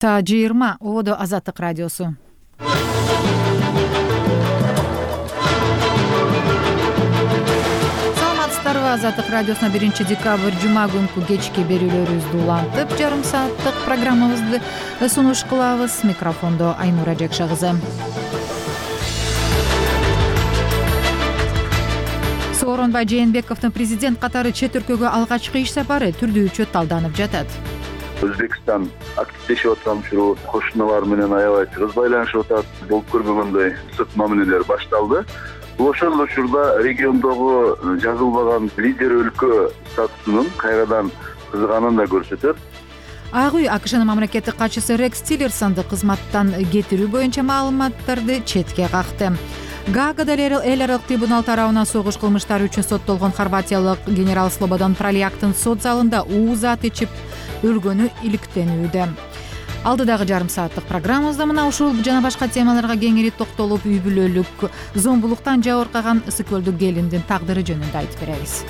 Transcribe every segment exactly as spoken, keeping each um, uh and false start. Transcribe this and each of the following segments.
Та жыйырма ободо Азаттык радиосу. Саламатсыздарбы? Азаттык радиосуна биринчи декабрь жума күнкү кечки берүүлөрүбүздү улантып, жарым сааттык программабызды сунуш кылабыз. Микрофондо Айнура Жакша кызы. Сооронбай Жээнбековдун президент катары чет өлкөгө алгачкы иш сапары түрдүүчө талданып жатат. Өзбекстан активдешип аткан учуру кошуналар менен аябай тыгыз байланышып атат. Болуп көрбөгөндөй ысык мамилелер башталды. Бул ошол учурда региондогу жазылбаган лидер өлкө статусунун кайрадан кызыганын да көрсөтөт. Ак үй АКШнын мамлекеттик катчысы Рекс Тиллерсонду кызматтан кетирүү боюнча маалыматтарды четке какты. Гаагада эл аралык трибунал тарабынан согуш кылмыштары үчүн соттолгон хорватиялык генерал Слободан Пралияктын сот залында уузат ичип өлгөнү иликтенүүдө. Алдыдагы жарым сааттык программабызда мына ушул жана башка темаларга кеңири токтолуп, үй бүлөлүк зомбулуктан жабыркаган Ысыкөлдүк келиндин тагдыры жөнүндө айтып беребиз.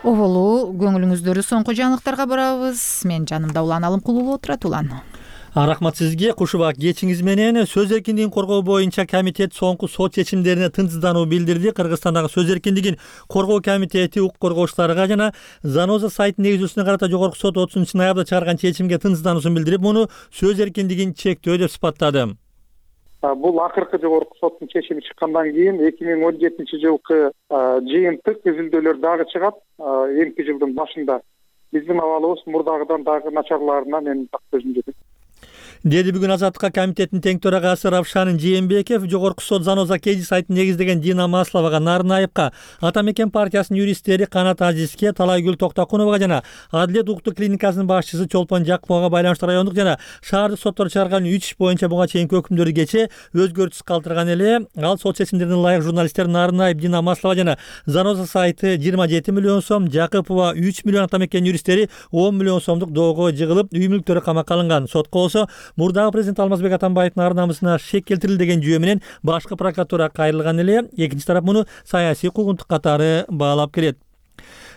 Оболу көңүлүңүздөрү соңку жаңылыктарга барабыз. Мен жанымда Улан Алымкулуу отурат. Улан. Рахмат сизге. Кушубак кечиңиз менен сөз эркиндигин коргоо боюнча комитет соңку сот чечимдерине тынчсыздануу билдирди. Кыргызстандагы сөз эркиндигин коргоо комитети укук коргоочуларга жана Заноза сайтынын негизүүсүнө карата жогорку сот отузунчу ноябрда чыгарган чечимге тынчсыздаnuусун билдирип, муну сөз эркиндигин чектөө деп сыпаттады. Бул акыркы жогорку соттун чечими чыккандан кийин эки миң он жетинчи жылкы жыйынтык изилдөөлөр дагы чыгат. Эмки жылдын башында биздин абалыбыз мурдагыдан дагы начарлаарына мен так көзүм жетет. Деди бүгүн Азаттыкка комитеттин тең төрагасы Равшан Жээнбеков жогорку сот Заноза Кеди сайтын негиздеген Дина Масловага, Нарынаевка, Ата мекен партиясынын юристтери Канат Азизге, Талайгүл Токтокуновага жана Адилет укуктук клиникасынын башчысы Чолпон Жакповага байланыштуу райондук жана шаардык соттор чыгарган үч иш боюнча буга чейинки өкүмдөрдү кечээ өзгөртүс калтырган эле. Ал сот чечимдерине ылайык журналисттер Нарынаев, Дина Маслова жана Заноза сайты жыйырма жети миллион сом, Жакыпова үч миллион, Ата мекен юристтери он миллион сомдук доого жыгылып, үй мүлктөрү камакка алынган. Сотко болсо мурдагы президент Алмазбек Атамбаевдин ар намысына шек келтирилди деген жүйө менен башкы прокуратура кайрылган эле. Экинчи тарап муну саясий куугунтук катары баалап келет.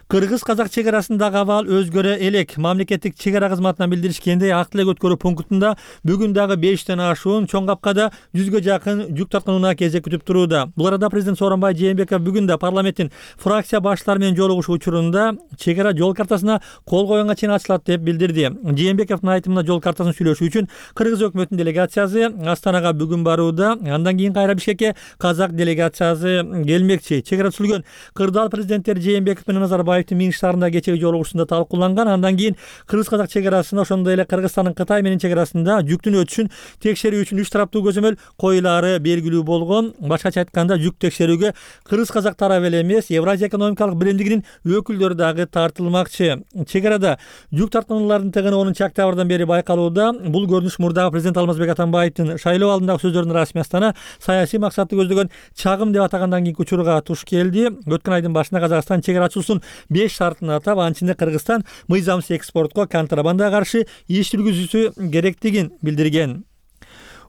Кыргыз-казак чек арасындагы абал өзгөрө элек. Мамлекеттик чек ара кызматынан билдиришкендей, ак тилек өткөрүү пунктунда бүгүн дагы бештен ашуун, чоң капкада жүзгө жакын жүк тартканына кезек күтүп турууда. Бул арада президент Сооронбай Жээнбеков бүгүн да парламенттин фракция баштары менен жолугушуу учурунда чек ара жол картасына кол койгонго чейин ачылат деп билдирди. Жээнбековдун айтымында жол картасын сүйлөшүү үчүн Кыргыз өкмөтүнүн делегациясы Астанага бүгүн барууда. Андан кийин кайра Бишкекке казак делегациясы келмекчи. Чек ара түзүлгөн кырдаал президенттери Жээнбеков менен Назарбаев Минск шаарында кечеги жолугушуусунда талкууланган. Андан кийин Кыргыз-казак чек арасында, ошондой эле Кыргызстандын Кытай менен чек арасында жүктүн өтүшүн текшерүү үчүн үч тараптуу көзөмөл коюлаары белгилүү болгон. Башкача айтканда, жүк текшерүүгө Кыргыз-казак тарабы эле эмес, Евразия экономикалык биримдигинин өкүлдөрү дагы тартылмакчы. Чек арада жүк тарткануулардын тыгыны онунчу октябрдан бери байкалууда. Бул көрүнүш мурдагы президент Алмазбек Атамбаевдин шайлоо алдындагы сөздөрүнүн расмий Астана саясий максатты көздөгөн чагым деп атагандан кийинки учурга туш келди. Өткөн айдын башында Казакстан чек арачуусунун беш шартын атап, анчында Кыргызстан мыйзамсыз экспортко, контрабандага каршы иш жүргүзүүсү керектигин билдирген.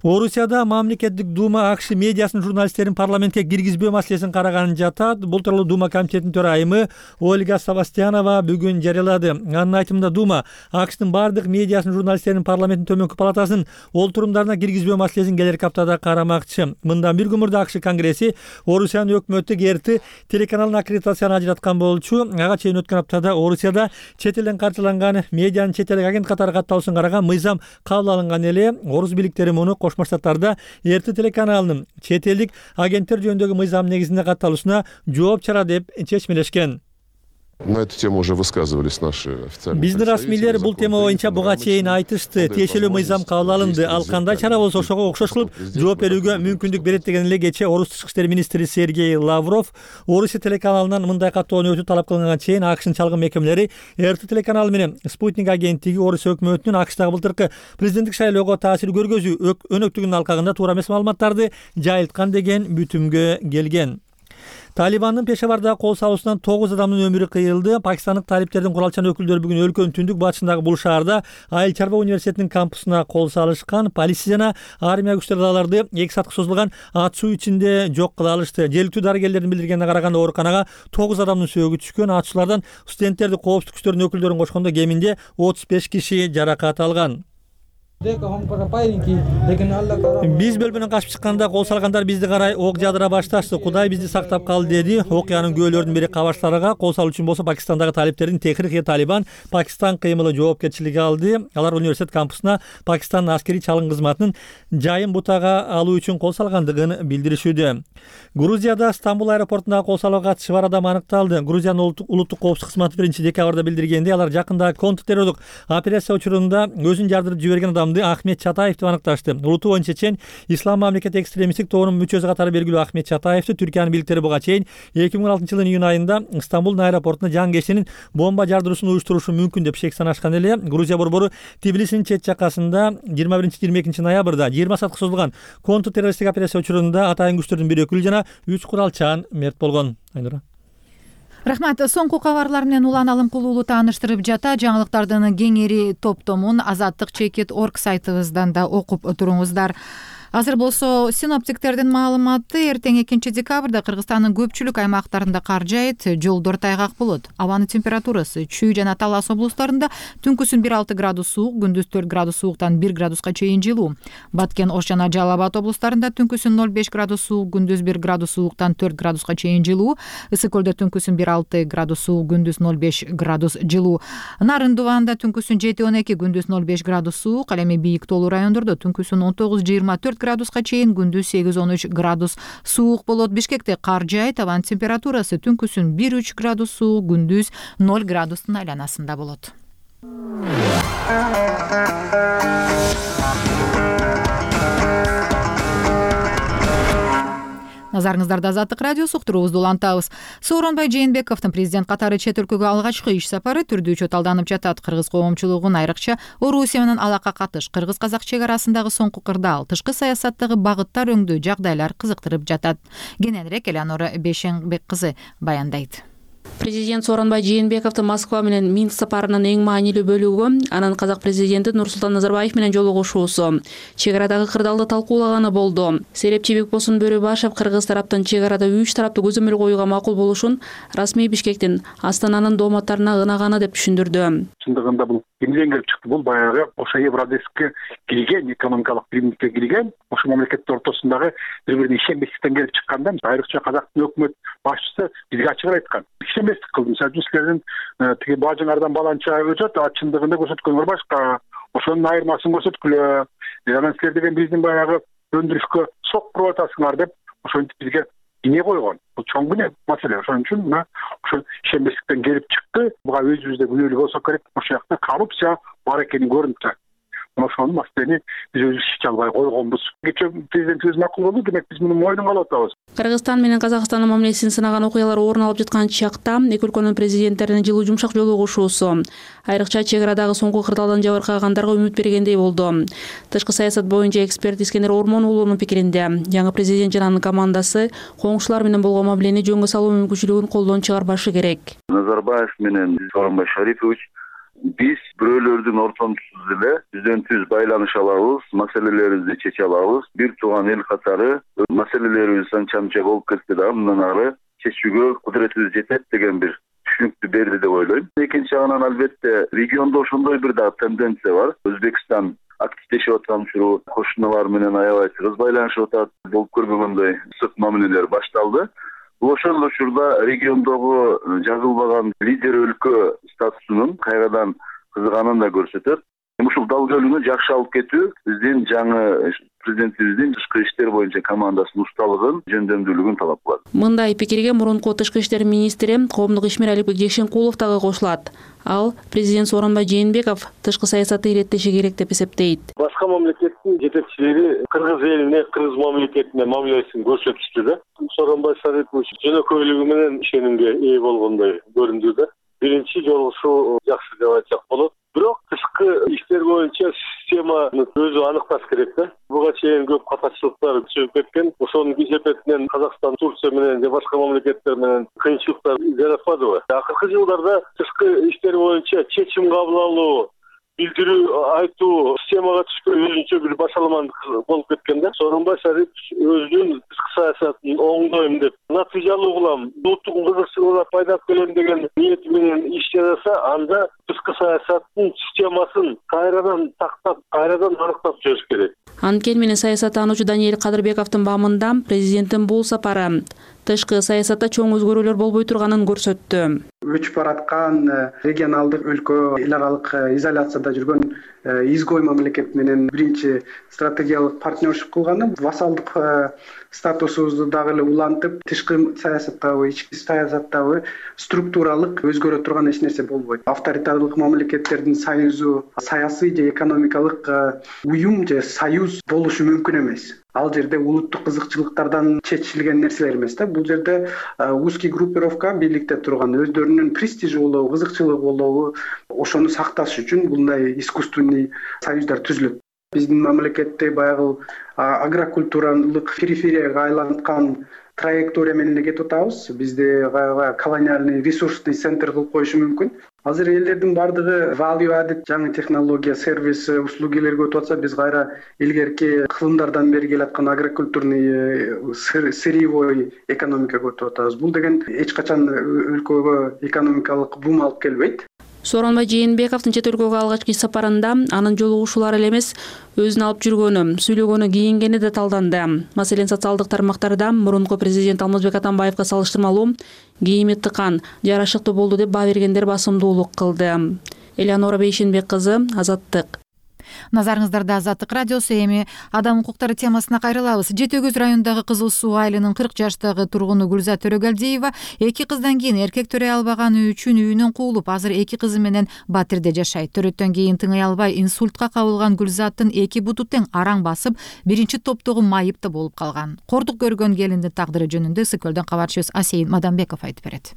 Орусияда мамлекеттик дума АКШ медиасынын журналисттерин парламентке киргизбөө маселесин караганын жатат. Бул тууралуу дума комитетинин төрайымы Ольга Савастьянова бүгүн жарыялады. Анын айтымында дума АКШтын бардык медиасынын журналисттерин парламенттин төмөнкү палатасынын олтурумдарына киргизбөө маселесин келерки аптада карамакчы. Мындан бир күн мурда АКШ конгресси Орусиянын өкмөттүк эрти телеканалын аккредитацияны ажыраткан болчу. Ага чейин өткөн аптада Орусияда чет элден каржыланган медианын чет элдик агент катары катталышын караган мыйзам кабыл алынган эле. Орус бийликтери муну Кошмо Штаттарда эрти телеканалынын чет элдик агенттер жөнүндөгү мыйзам негизинде катталышына жооп чара деп чечмелешкен. На эту тему уже высказывались наши официальные. Биздин расмийлер бул тема боюнча буга чейин айтышты. Тиешелүү мыйзам кабыл алынды. Ал кандай чара болсо ошого окшош кылып жооп берүүгө мүмкүндүк берет деген эле кечээ Орус тышкы иштер министри Сергей Лавров Орусия телеканалынан мындай каттоону өтүү талап кылынганга чейин АКШнын чалгын мекемелери эрти телеканалы менен Спутник агенттиги Орусия өкмөтүнүн АКШтагы былтыркы президенттик шайлоого таасир көргөзүү өнөктүгүнүн алкагында туура эмес маалыматтарды жайылткан деген бүтүмгө келген. Талибандын Пешавардагы кол салуусунан тогуз адамдын өмүрү кыйылды. Пакистандык талиптердин куралчан өкүлдөрү бүгүн өлкөнүн түндүк батышындагы бул шаарда Айыл чарба университетинин кампусуна кол салышкан. Полиция жана армия күчтөрү аларды эки саатка созулган ат суу ичинде жок кыла алышты. Жергиликтүү дарыгерлердин билдиргенине караганда ооруканага тогуз адамдын сөөгү түшкөн. Атышуулардан студенттерди, коопсуздук күчтөрүнүн өкүлдөрүн кошкондо кеминде отуз беш киши жаракат алган. Биз бөлмөнөн качып чыкканда кол салгандар бизди карай ок жаадыра башташты. Кудай бизди сактап калды, деди. Окуянын күбөлөрдүн бири кабарчыларга кол салуу үчүн болсо Пакистандагы талиптердин Техрик Талибан Пакистан кыймылы жоопкерчилиги алды. Алар университет кампусуна Пакистандын аскерий чалым кызматынын жайын бутага алуу үчүн кол салгандыгын билдиришүүдө. Грузияда Стамбул аэропортундагы кол салууга катышы бар адам аныкталды. Грузиянын улуттук коопсуздук кызматы биринчи декабрда билдиргенде, алар жакында контртеррорлук операция учурунда өзүн жардырып жиберген адам Ахмет Чатаев деп аныкташты. Улуту боюнча чечен Ислам мамлекети экстремисттик тобунун мүчөсү катары белгилүү Ахмет Чатаевди Түркиянын бийликтери буга чейин эки миң он алтынчы жылдын июнь айында Стамбулдун аэропортуна жан кешенин бомба жардыруусун уюштурушу мүмкүн деп шек санашкан эле. Грузия борбору Тбилисинин чет жакасында жыйырма биринчи жыйырма экинчи ноябрда жыйырма саатка созулган контртеррористтик операция учурунда атайын күчтөрдүн бир өкүлү жана үч куралчан мерт болгон. Айнура. Рахмат. Соңку кабарлар менен улан алым кылуулу тааныштырып жата. Жаңылыктардын кеңири топтомун азаттык чекит орг сайтыбыздан да окуп туруңуздар. Азыр болсо синоптиктердин маалыматы: эртең экинчи декабрда Кыргызстандын көпчүлүк аймактарында кар жаайт, жолдор тайгак болот. Абанын температурасы Чүй жана Талас облустарында түнкүсүн бир алты градус суук, күндүз төрт градус сууктан бир градуска чейин жылуу. Баткен, Ош жана Жалал Абад облустарында түнкүсүн ноль беш градус суук, күндүз бир градус сууктан төрт градуска чейин жылуу. Ысык көлдө түнкүсүн бир алты градус суук, күндүз ноль беш градус жылуу. Нарын Дубанда түнкүсүн жети он эки, күндүз ноль беш градус суук. Ал эми бийик тоолуу райондордо түнкүсүн он тогуз жыйырма төрт градуска чейин, күндүз сегиз он үч градус суук болот. Бишкекте кар жаайт, абанын температурасы түнкүсүн бир үч градус суук, күндүз ноль градустун айланасында болот. Назарыңыздарда Азаттык радиосу, уктуруубузду улантабыз. Сооронбай Жээнбековдун президент катары чет өлкөгө алгачкы иш сапары түрдүүчө талданып жатат. Кыргыз коомчулугун, айрыкча Орусия менен алака катыш, кыргыз-казак чек арасындагы соңку кырдаал, тышкы саясаттагы багыттар өңдүү жагдайлар кызыктырып жатат. Кененирээк Элеонора Бешенбек кызы баяндайт. Президент Сооронбай Жээнбековдун Москва менен Минск сапарынын эң маанилүү бөлүгү анын казак президенти Нурсултан Назарбаев менен жолугушуусу. Чек арадагы кырдаалды талкуулаганы болду. Серепчи Бекбосун Бөрөбашев Кыргыз тараптын чек арада үч тараптуу көзөмөл коюуга макул болушун расмий Бишкектин Астананын дооматтарына ынаганы деп түшүндүрдү. Чындыгында бул эмнеден келип чыкты? Бул баягы ошо Евразийскке кирген, экономикалык биримдикке кирген, ошо мамлекеттер ортосундагы бири-бирине ишенбестиктен келип чыкканда, айрыкча казактын өкмөт башчысы бизге ачык айткан. Ишенбестик кылды. Мисалы үчүн силердин тиги бажыңардан баланча өтөт, а чындыгында көрсөткөнүңөр башка. Ошонун айырмасын көрсөткүлө. Анан силер деген биздин баягы өндүрүшкө сок куруп атасыңар деп ошентип бизге ине койгон. Бул чоң күнөө маселе. Ошон үчүн мына ошол ишенбестиктен келип чыкты. Буга өзүбүздө күнөөлүү болсок керек. Ошол жакта коррупция бар экени көрүнүп турат. Ошонун маселени биз өзүбүз чече албай койгонбуз. Кечээ президентибиз макул болду, демек биз муну мойнунга алып атабыз. Кыргызстан менен Казакстандын мамилесин сынаган окуялар орун алып жаткан чакта эки өлкөнүн президенттеринин жылуу жумшак жолугушуусу айрыкча чек арадагы соңку кырдаалдан жабыркагандарга үмүт бергендей болду. Тышкы саясат боюнча эксперт Искендер Ормон уулунун пикиринде, жаңы президент жана анын командасы коңшулар менен болгон мамилени жөнгө салуу мүмкүнчүлүгүн колдон чыгарбашы керек. Назарбаев менен Сооронбай Шарипович биз бирөөлөрдүн ортомчусуз эле бизден түз байланыша алабыз, маселелерибизди чече алабыз. Бир тууган эл катары маселелерибиз анча-мынча болуп кетти да, мындан ары чечүүгө кудуретибиз жетет деген бир түшүнүктү берди деп ойлойм. Экинчи жагынан албетте региондо ошондой бир дагы тенденция бар. Өзбекстан активдешип аткан учуру кошуналар менен аябай тыгыз байланышып атат. Болуп көрбөгөндөй ысык мамилелер башталды. Бул ошол учурда региондогу жазылбаган лидер өлкө статусунун кайрадан кызыганын да көрсөтөт. Ушул дал жолуну жакшы алып кетүү биздин жаңы президентибиздин тышкы иштер боюнча командасынын усталыгын, жөндөмдүүлүгүн талап кылат. Мындай пикирге мурунку тышкы иштер министри коомдук ишмер Алипбек Жекшенкулов дагы кошулат. Ал президент Сооронбай Жээнбеков тышкы саясатты иреттеши керек деп эсептейт. Башка мамлекеттин жетекчилери кыргыз элине, кыргыз мамлекетине мамилесин көрсөтүштү да. Сооронбай Шарипович жөнөкөйлүгү менен ишенимге ээ болгондой көрүндү да. Биринчи жолугушуу жакшы деп айтсак болот. Бирок тышкы иштер боюнча системаны өзү аныкташ керек да. Буга чейин көп катачылыктар чыгып кеткен. Ошонун кесепетинен Казакстан, Турция менен же башка мамлекеттер менен кыйынчылыктар жаратпадыбы? Акыркы жылдарда тышкы иштер боюнча чечим кабыл алуу, билдирүү айтуу системага түшкөн өзүнчө бир башаламандык болуп кеткен да. Сооронбай Шарипович өзүнүн тышкы саясатын оңдойм деп, натыйжалуу кылам, улуттук кызыкчылыгына пайдап келем деген ниети менен иш жасаса, анда тышкы саясаттын системасын кайрадан тактап, кайрадан аныктап чыгыш керек. Анткени менен саясаттануучу Даниэль Кадырбековдун бамында президенттин бул сапары тышкы саясатта чоң өзгөрүүлөр болбой турганын көрсөттү. Өчүп бараткан регионалдык өлкө эл аралык изоляцияда жүргөн изгой мамлекет менен биринчи стратегиялык партнершип кылганы, вассалдык статусубузду дагы эле улантып, тышкы саясаттабы, ички саясаттабы структуралык өзгөрө турган эч нерсе болбойт. Авторитарлык мамлекеттердин союзу, саясий же экономикалык уюм же союз болушу мүмкүн эмес. Ал жерде улуттук кызыкчылыктардан чечилген нерселер эмес да. Бул жерде узкий группировка бийликте турган, өздөрүнүн престижи болобу, кызыкчылыгы болобу, ошону сакташ үчүн мындай искусственный союздар түзүлөт. Биздин мамлекетте баягы агрокультуралык периферияга айланткан траектория менен кетип атабыз. Бизде колониальный ресурсный центр кылып коюшу мүмкүн. Азыр элдердин бардыгы value added жаңы технология, сервис, услугилерге өтүп атса, биз кайра илгерки кылымдардан бери келаткан агрокультурный сырьевой экономикага өтүп атабыз. Бул деген эч качан өлкөгө экономикалык бум алып келбейт. Сооронбай Жээнбековдун чет өлкөгө алгачкы сапарында анын жолугушуулары эле эмес, өзүн алып жүргөнү, сүйлөгөнү, кийингени да талданды. Маселен, социалдык тармактарда мурунку президент Алмазбек Атамбаевга салыштырмалуу кийими тыкан, жарашыктуу болду деп баа бергендер басымдуулук кылды. Элеонора Бейшенбек кызы, Азаттык. Назарыңыздарда Азаттык радиосу. Эми адам укуктары темасына кайрылабыз. Жети Өгүз районундагы Кызыл Суу айылынын кырк жаштагы тургуну Гүлзат Төрөгелдиева эки кыздан кийин эркек төрөй албаганы үчүн үйүнөн куулуп, азыр эки кызы менен Батирде жашайт. Төрөттөн кийин тыңай албай инсультка кабылган Гүлзаттын эки буту тең араң басып, биринчи топтогу майып да болуп калган. Кордук көргөн келиндин тагдыры жөнүндө Ысык Көлдөн кабарчыбыз Асейин Мадамбеков айтып берет.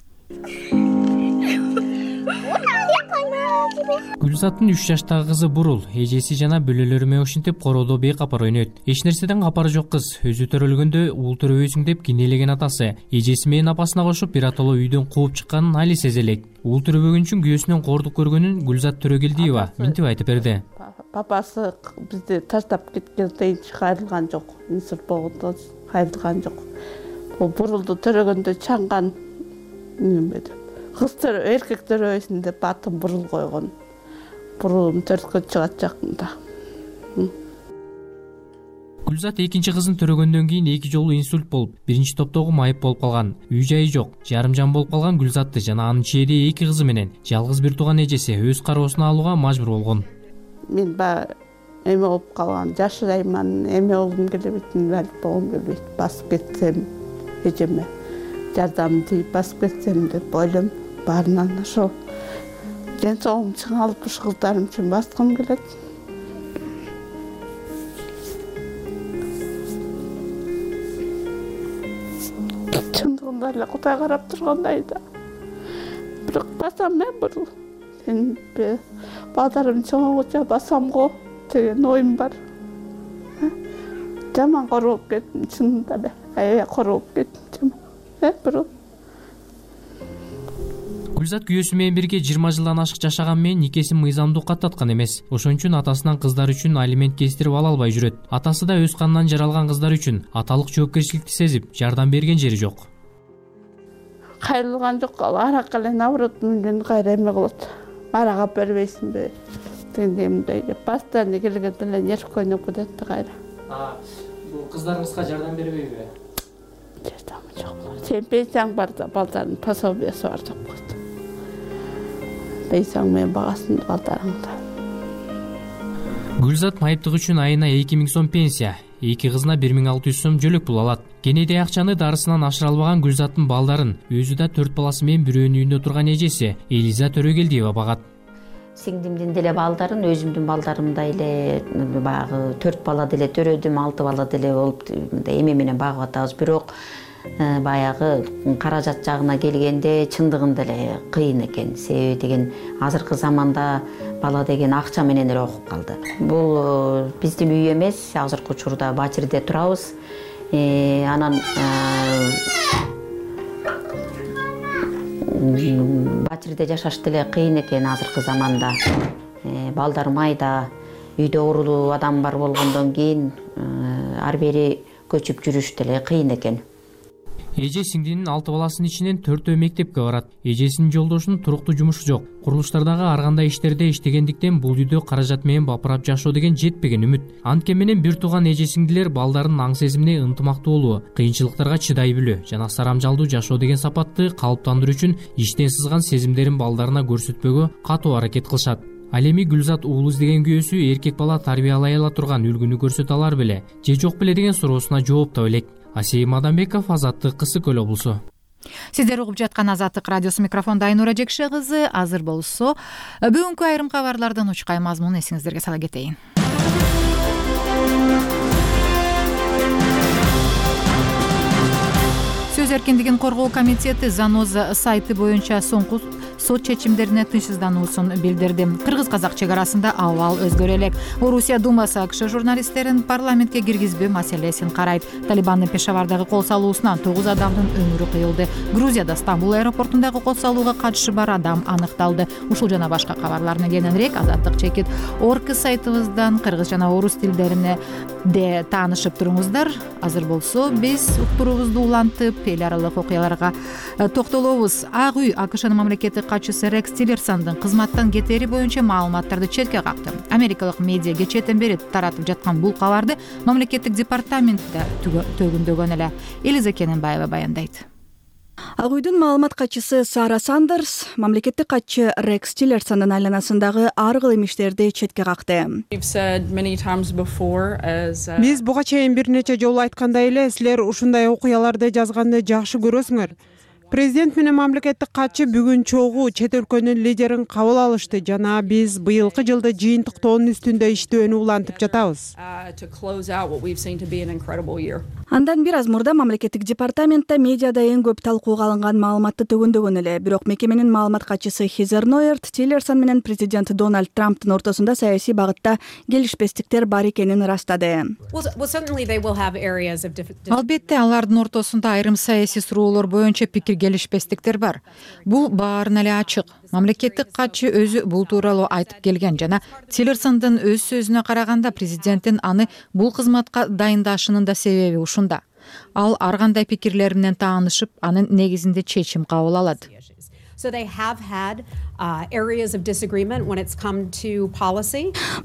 Гүлзаттын үч жаштагы кызы Бурул эжеси жана бөлөлөрү менен ошентип короодо бейкапар ойнойт. Эч нерседен капары жок кыз. Өзү төрөлгөндө уул төрөбөйсүң деп кинелеген атасы эжеси менен апасына кошуп бир аталуу үйдөн кууп чыкканын али сезе элек. Уул төрөбөгөн үчүн күйөөсүнөн кордук көргөнүн Гүлзат Төрөгелдиева мынтип айтып берди. Папасы бизди таштап кеткенден кайрылган жок. Инсульт болгондо кайрылган жок. Бул Бурулду төрөгөндө чаңган неме деп. Кыз төрө, эркек төрөбөйсүн деп атын Бурул койгон. Бурулум төрткө чыгат жакында. Гүлзат экинчи кызын төрөгөндөн кийин эки жолу инсульт болуп, биринчи топтогу майып болуп калган. Үй жайы жок, жарым жан болуп калган Гүлзатты жана анын чээде эки кызы менен жалгыз бир тууган эжеси өз кароосуна алууга мажбур болгон. Мен ба эме болуп калган, жашырайман, эме болгум келбейт, инвалид болгум келбейт. Басып кетсем эжеме жардам тийип басып кетсем деп ойлойм. Баарынан ошол ден соолугум чыңалып ушу кыздарым үчүн баскым келет. Чындыгында эле Кудай карап тургандай да. Бирок басам мен Бурул. Сен балдарым чоңойгуча басам го деген оюм бар. Жаман корооп кеттим, чынында эле. Аябай корооп кеттим. Э, Бурул. Гүлзат күйөөсү менен бирге жыйырма жылдан ашык жашаган менен никесин мыйзамдуу каттаткан эмес. Ошон үчүн атасынан кыздар үчүн алимент кестирип ала албай жүрөт. Атасы да өз канынан жаралган кыздар үчүн аталык жоопкерчиликти сезип, жардам берген жери жок. Кайрылган жок, арак эле наоборот менден кайра эме кылат. Арага бербейсиңби? Дегендей деп постоянно келгенде эле нервге ойноп кетет да кайра. А, бул кыздарыңызга жардам бербейби? Жардамы жок. Сен пенсияң бар да, балдардын пособиясы бар деп койду. Пенсияң менен багасын балдарыңда. Гүлзат майыптык үчүн айына эки миң сом пенсия, эки кызына бир миң алты жүз сом жөлөк пул алат. Кенедей акчаны дарысынан ашыра албаган Гүлзаттын балдарын өзү да төрт баласы менен бирөөнүн үйүндө турган эжеси Элиза Төрөгелдиева багат. Сиңдимдин деле балдарын, өзүмдүн балдарымдай эле баягы төрт бала деле төрөдүм, алты бала деле болуп эме менен багып атабыз. Бирок баягы каражат жагына келгенде чындыгында эле кыйын экен. Себеби деген азыркы заманда бала деген акча менен эле окуп калды. Бул биздин үй эмес, азыркы учурда Бачирде турабыз. Анан Бачирде жашаш деле кыйын экен азыркы заманда. Балдар майда, үйдө оорулуу адам бар болгондон кийин ар бери көчүп жүрүш деле кыйын экен. Эже сиңдинин алты баласынын ичинен төртөө мектепке барат. Эжесинин жолдошунун туруктуу жумушу жок. Курулуштардагы ар кандай иштерде иштегендиктен бул үйдө каражат менен бапырап жашоо деген жетпеген үмүт. Анткени менен бир тууган эже сиңдилер балдарынын аң сезимине ынтымактуу болуу, кыйынчылыктарга чыдай билүү жана сарамжалдуу жашоо деген сапатты калыптандыруу үчүн иштен сызган сезимдерин балдарына көрсөтпөгө катуу аракет кылышат. Ал эми Гүлзат уулу издеген күйөөсү эркек бала тарбиялай ала турган үлгүнү көрсөтө алар беле же жок беле деген суроосуна жооп таба элек. Асейим Адамбеков, Азаттык, Кысык Көл облусу. Сиздер угуп жаткан Азаттык радиосу, микрофондо Айнура Жекше кызы. Азыр болсо бүгүнкү айрым кабарлардан учкай мазмун эсиңиздерге сала кетейин. Сөз эркиндигин коргоо комитети Заноза сайты боюнча соңку сот чечимдерине тынчсыздануусун билдирди. Кыргыз-казак чек арасында абал өзгөрө элек. Орусия Думасы АКШ журналисттерин парламентке киргизбөө маселесин карайт. Талибандын Пешавардагы кол салуусунан тогуз адамдын өмүрү кыйылды. Грузияда Стамбул аэропортундагы кол салууга катышы бар адам аныкталды. Ушул жана башка кабарларына кененирээк Азаттык чекит орг сайтыбыздан кыргыз жана орус тилдерине де таанышып туруңуздар. Азыр болсо биз уктуруубузду улантып эл аралык окуяларга токтолобуз. Ак үй АКШнын мамлекеттик катчысы Рекс Тиллерсондун кызматтан кетери боюнча маалыматтарды четке какты. Америкалык медиа кечээден бери таратып жаткан бул кабарды мамлекеттик департаментте төгүндөгөн эле. Элиза Кененбаева баяндайт. Ак үйдүн маалымат катчысы Сара Сандерс мамлекеттик катчы Рекс Тиллерсондун айланасындагы ар кылым иштерди четке какты. Биз буга чейин бир нече жолу айткандай эле, силер ушундай окуяларды жазганды жакшы көрөсүңөр. Президент менен мамлекеттик катчы бүгүн чогуу чет өлкөнүн лидерин кабыл алышты жана биз быйылкы жылды жыйынтыктоонун үстүндө иштөөнү улантып жатабыз. Андан бир аз мурда мамлекеттик департаментте медиада эң көп талкууга алынган маалыматты төгүндөгөн эле. Бирок мекеменин маалымат катчысы Хизер Нойерт Тиллерсон менен президент Дональд Трамптын ортосунда саясий багытта келишпестиктер бар экенин ырастады. Албетте алардын ортосунда айрым саясий суроолор боюнча пикир келишпестиктер бар. Бул баарына эле ачык. Мамлекеттик катчы өзү бул тууралуу айтып келген жана Тиллерсондун өз сөзүнө караганда президенттин аны бул кызматка дайындашынын да себеби ушунда. Ал ар кандай пикирлер менен таанышып, анын негизинде чечим кабыл алат.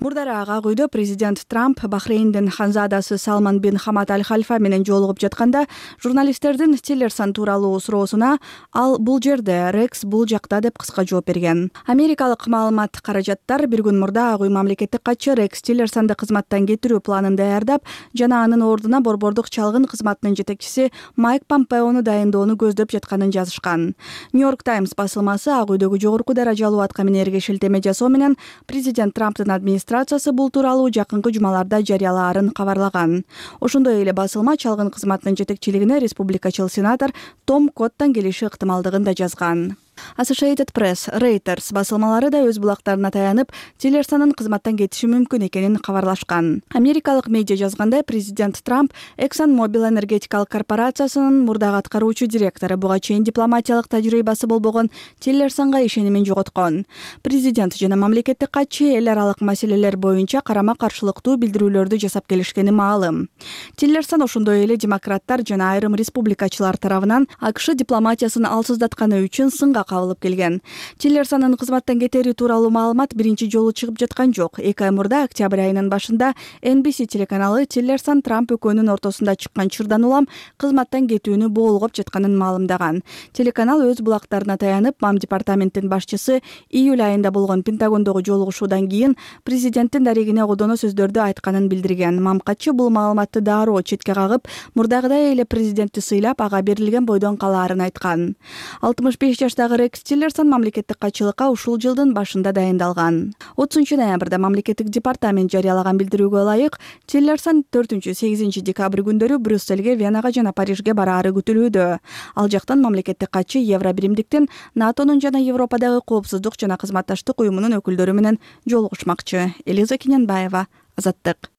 Мурдараак Ак үйдө президент Трамп Бахрейндин ханзадасы Салман бин Хамад аль-Хальфа менен жолугуп жатканда журналисттердин Тиллерсон тууралуу суроосуна ал бул жерде, Рекс бул жакта деп кыска жооп берген. Америкалык маалымат каражаттар бир күн мурда Ак үй мамлекеттик катчы Рекс Тиллерсонду кызматтан кетирүү планын даярдап жана анын ордуна борбордук чалгын кызматынын жетекчиси Майк Помпеону дайындоону көздөп жатканын жазышкан. Нью-Йорк Таймс басылмасы Ак үйдөгү жогорку даражалуу атка минерге шилтеме жасоо менен президент Трамптын администрациясы бул тууралуу жакынкы жумаларда жарыялаарын кабарлаган. Ошондой эле басылма чалгын кызматынын жетекчилигине республикачыл сенатор Том Коттан келиши ыктымалдыгын да жазган. Associated Press, Reuters басылмалары да өз булактарына таянып, Тиллерсонун кызматтан кетиши мүмкүн экенин кабарлашкан. Америкалык медиа жазгандай, президент Трамп ExxonMobil энергетикалык корпорациясынын мурдагы аткаруучу директору буга чейин дипломатиялык тажрыйбасы болбогон Тиллерсонго ишенимин жоготкон. Президент жана мамлекеттик катчы эл аралык маселелер боюнча карама-каршылыктуу билдирүүлөрдү жасап келишкени маалым. Тиллерсон ошондой эле демократтар жана айрым республикачылар тарабынан АКШ дипломатиясын алсыздатканы үчүн сынга кабылып келген. Тиллерсонун кызматтан кетери тууралуу маалымат биринчи жолу чыгып жаткан жок. эки ай мурда октябрь айынын башында Эн Би Си телеканалы Тиллерсон Трамп экөөнүн ортосунда чыккан чырдан улам кызматтан кетүүнү боолгоп жатканын маалымдаган. Телеканал өз булактарына таянып, Мам департаменттин башчысы июль айында болгон Пентагондогу жолугушуудан кийин президенттин дарегине одоно сөздөрдү айтканын билдирген. Мам катчы бул маалыматты дароо четке кагып, мурдагыдай эле президентти сыйлап, ага берилген бойдон калаарын айткан. алтымыш беш жаштагы Рекс Тиллерсон мамлекеттик катчылыкка ушул жылдын башында дайындалган. отузунчу ноябрда мамлекеттик департамент жарыялаган билдирүүгө ылайык, Тиллерсон төртүнчү сегизинчи декабрь күндөрү Брюссельге, Венага жана Парижге бараары күтүлүүдө. Ал жактан мамлекеттик катчы Евро биримдиктин, НАТОнун жана Европадагы коопсуздук жана кызматташтык уюмунун өкүлдөрү менен жолугушмакчы. Элиза Кененбаева, Азаттык.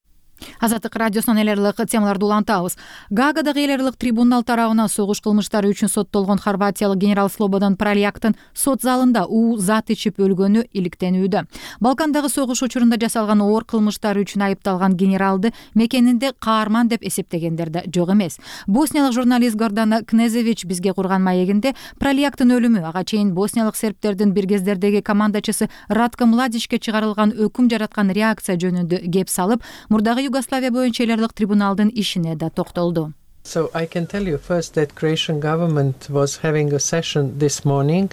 Азаттык радиосунан эл аралык темаларды улантабыз. Гаагадагы эл аралык трибунал тарабынан согуш кылмыштары үчүн соттолгон хорватиялык генерал Слободан Праляктын сот залында уу зат ичип өлгөнү иликтенүүдө. Балкандагы согуш учурунда жасалган оор кылмыштары үчүн айыпталган генералды мекенинде каарман деп эсептегендер да жок эмес. Босниялык журналист Гордана Кнезевич бизге курган маегинде Праляктын өлүмү ага чейин босниялык сербтердин бир кездердеги командачысы Ратко Младичке чыгарылган өкүм жараткан реакция жөнүндө кеп салып, мурдагы Югославия боюнча эл аралык трибуналдын ишине да токтолду. So I can tell you first that Croatian government was having a session this morning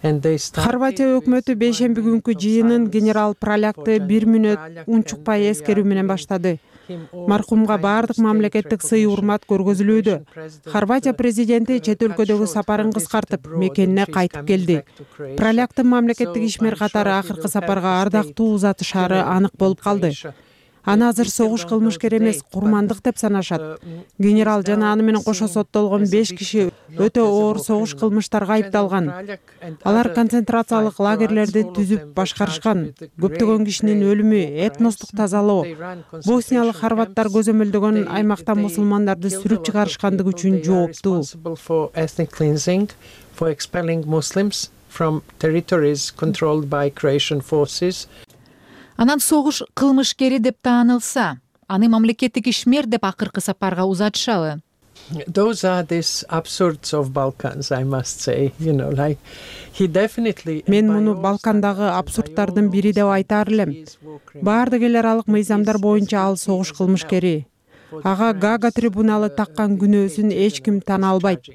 and they started. Хорватия өкмөтү бейшемби күнкү жыйынын генерал Пралякты бир мүнөт унчукпай эскерүү менен баштады. Маркумга баардык мамлекеттик сый урмат көргөзүлүүдө. Хорватия президенти чет өлкөдөгү сапарын кыскартып, мекенине кайтып келди. Праляктын мамлекеттик ишмер катары акыркы сапарга ардактуу узатышаары анык болуп калды. Аны азыр согуш кылмышкер эмес, курмандык деп санашат. Генерал жана аны менен кошо соттолгон беш киши өтө оор согуш кылмыштарга айыпталган. Алар концентрациялык лагерлерди түзүп башкарышкан. Көптөгөн кишинин өлүмү, этностук тазалоо, босниялык хорваттар көзөмөлдөгөн аймактан мусулмандарды сүрүп чыгарышкандыгы үчүн жооптуу. Анан согуш кылмышкери деп таанылса, аны мамлекеттик ишмер деп акыркы сапарга узатышабы? Those are these absurds of Balkans, I must say, you know, like he definitely. Мен муну Балкандагы абсурдтардын бири деп айтаар элем. Баардык эл аралык мыйзамдар боюнча ал согуш кылмышкери. Ага Гага трибуналы таккан күнөөсүн эч ким тана албайт.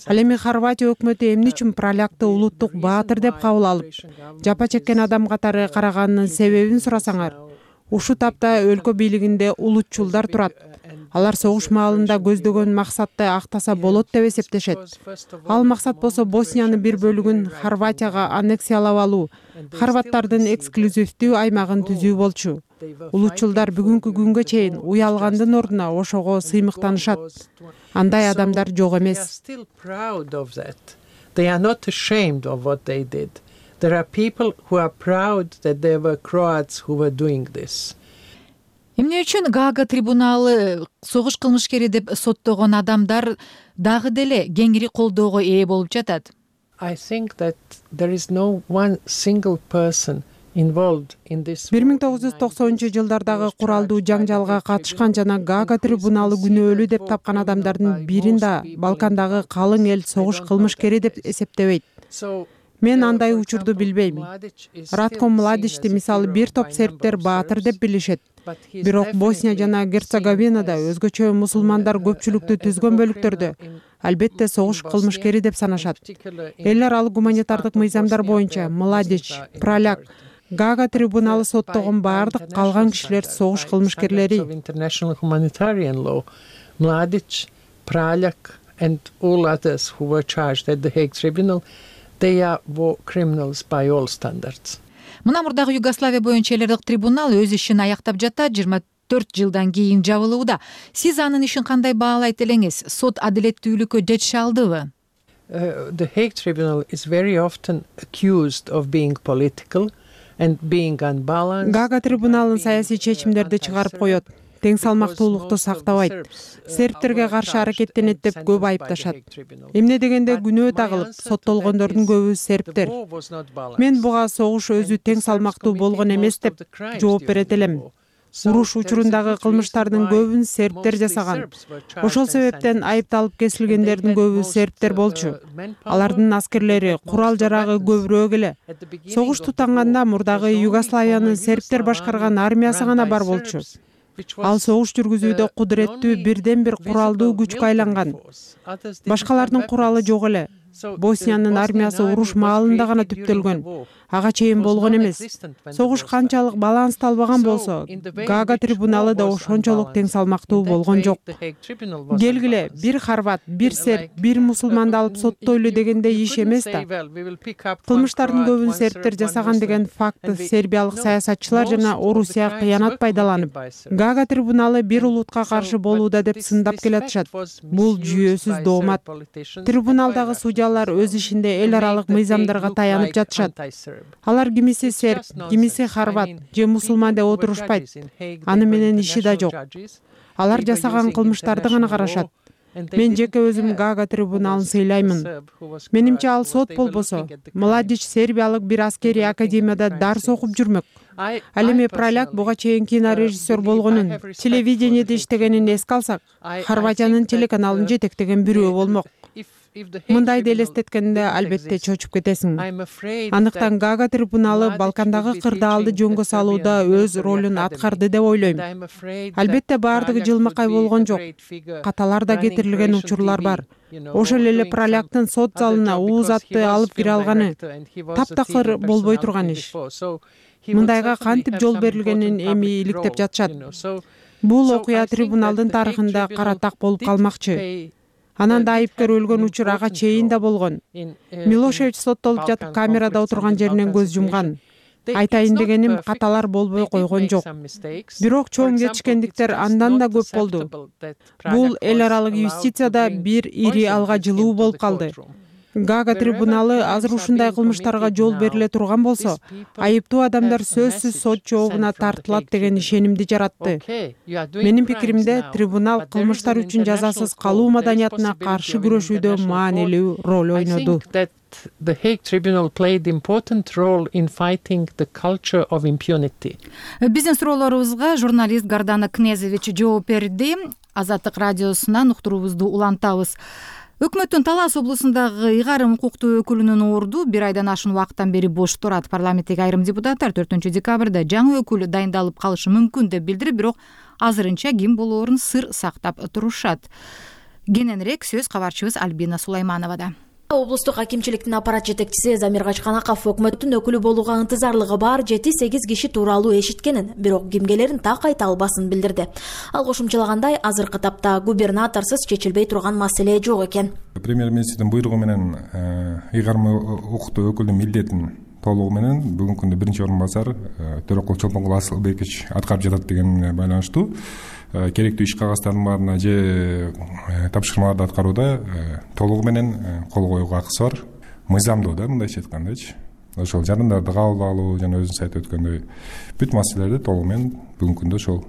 Ал эми Хорватия өкмөтү эмне үчүн Пралякты улуттук баатыр деп кабыл алып, жапа чеккен адам катары караганынын себебин сурасаңар, ушул тапта өлкө бийлигинде улутчулдар турат. Алар согуш маалында көздөгөн максатты актаса болот деп эсептешет. Ал максат болсо Босниянын бир бөлүгүн Хорватияга аннексиялап алуу, хорваттардын эксклюзивдүү аймагын түзүү болчу. Улутчулдар бүгүнкү күнгө чейин уялгандын ордуна ошого сыймыктанышат. Андай адамдар жок эмес. They are not ashamed of what they did. There are people who are proud that they were Croats who were doing this. Эмне үчүн Гага трибуналы согуш кылмышкери деп соттогон адамдар дагы деле кеңири колдоого ээ болуп жатат? I think that there is no one single person бир миң тогуз жүз токсонунчу жылдардагы куралдуу жаңжалга катышкан жана Гага трибуналы күнөөлүү деп тапкан адамдардын бирин да Балкандагы калың эл согуш кылмышкери деп эсептебейт. Мен андай учурду билбейм. Ратко Младичти мисалы бир топ сербтер баатыр деп билишет. Бирок Босния жана Герцеговинада өзгөчө мусулмандар көпчүлүктү түзгөн бөлүктөрдө албетте согуш кылмышкери деп санашат. Эл аралык гуманитардык мыйзамдар боюнча Младич, Праляк, Гага трибуналы соттогон баардык калган кишилер согуш кылмышкерлери. Mladic, Praljak and all others who were charged at the Hague Tribunal, they are war criminals by all standards. Мына мурдагы Югославия боюнча эл аралык трибунал өз ишин аяктап жатат, жыйырма төрт жылдан кийин жабылууда. Сиз анын ишин кандай баалайт элеңиз? Сот адилеттүүлүккө жетише алдыбы? The Hague Tribunal is very often accused of being political and being unbalanced. Гага трибуналын саясий чечимдерди чыгарып коет. Тең салмактуулукту сактабайт. Сербтерге каршы аракеттенет деп көп айыпташат. Эмне дегенде күнөө тагылып, соттолгондордун көбү сербтер. Мен буга согуш өзү тең салмактуу болгон эмес деп жооп берет элем. Уруш учурундагы кылмыштардын көбүн сербтер жасаган. Ошол себептен айыпталып кесилгендердин көбү сербтер болчу. Алардын аскерлери, курал жарагы көбүрөөк эле. Согуш тутанганда мурдагы Югославиянын сербтер башкарган армиясы гана бар болчу. Ал согуш жүргүзүүдө кудуреттүү бирден бир куралдуу күчкө айланган. Башкалардын куралы жок эле. Босниянын армиясы уруш маалында гана түптөлгөн, ага чейин болгон эмес. Согуш канчалык балансталбаган болсо, Гага трибуналы да ошончолук тең салмактуу болгон жок. Келгиле, бир хорват, бир серб, бир мусулманды алып соттойлу дегенде иш эмес да. Кылмыштардын көбүн сербтер жасаган деген факты сербиялык саясатчылар жана Орусия кыянат пайдаланып, Гага трибуналы бир улутка каршы болууда деп сындап келатышат. Бул жүйөсүз доомат. Трибуналдагы судьялар өз ишинде эл аралык мыйзамдарга таянып жатышат. Алар кимиси серб, кимиси хорват же мусулман деп отурушпайт. Аны менен иши да жок. Алар жасаган кылмыштарды гана карашат. Мен жеке өзүм Гага трибуналын сыйлаймын. Менимче ал сот болбосо, Младич сербиялык бир аскерий академияда дарс окуп жүрмөк. Ал эми Праляк буга чейин кинорежиссер болгонун, телевидениеде иштегенин эске алсак, Хорватиянын телеканалын жетектеген бирөө болмок. Мындайды элестеткенде албетте чочуп кетесиң. Андыктан Гага трибуналы Балкандагы кырдаалды жөнгө салууда өз ролун аткарды деп ойлойм. Албетте баардыгы жылмакай болгон жок. Каталар да кетирилген учурлар бар. Ошол эле Праляктын сот залына ууз атты алып кире алганы таптакыр болбой турган иш. Мындайга кантип жол берилгенин эми иликтеп жатышат. Бул окуя трибуналдын тарыхында кара так болуп калмакчы. Анан да айыпкер өлгөн учур ага чейин да болгон. Милошевич соттолуп жатып камерада отурган жеринен көз жумган. Айтайын дегеним, каталар болбой койгон жок. Бирок чоң кетишкендиктер андан да көп болду. Бул эл аралык юстицияда бир ири алга жылуу болуп калды. Гага трибуналы азыр ушундай кылмыштарга жол бериле турган болсо, айыптуу адамдар сөзсүз сот жообуна тартылат деген ишенимди жаратты. Менин пикиримде, трибунал кылмыштар үчүн жазасыз калуу маданиятына каршы күрөшүүдө маанилүү роль ойноду. The Hague Tribunal played important role in fighting the culture of impunity. Биздин суроолорубузга журналист Гардана Кнезович жооп берди. Азаттык радиосунан уктуруубузду улантабыз. Өкмөттүн Талас облусундагы ыйгарым укуктуу өкүлүнүн орду бир айдан ашуун убакыттан бери бош турат. Парламенттеги айрым депутаттар төртүнчү декабрда жаңы өкүл дайындалып калышы мүмкүн деп билдирип, бирок азырынча ким болоорун сыр сактап турушат. Кененирээк сөз кабарчыбыз Альбина Сулаймановада. Облустук акимчиликтин аппарат жетекчиси Замир Качканаков өкмөттүн өкүлү болууга ынтызарлыгы бар жети сегиз киши тууралуу эшиткенин, бирок кимгелерин так айта албасын билдирди. Ал кошумчалагандай, азыркы тапта губернаторсуз чечилбей турган маселе жок экен. Премьер-министрдин буйругу менен ыйгарым укуктуу өкүлдүн милдетин толугу менен бүгүнкү күндө биринчи орун басар Төрөкул Чолпонкул Асылбекович аткарып жатат деген байланыштуу. Керектүү иш кагаздарынын баарына же тапшырмаларды аткарууда толугу менен кол коюуга акысы бар. Мыйзамдуу да мындайча айткандачы. Ошол жарандарды кабыл алуу жана өзүңүз айтып өткөндөй бүт маселелерди толугу менен бүгүнкү күндө ошол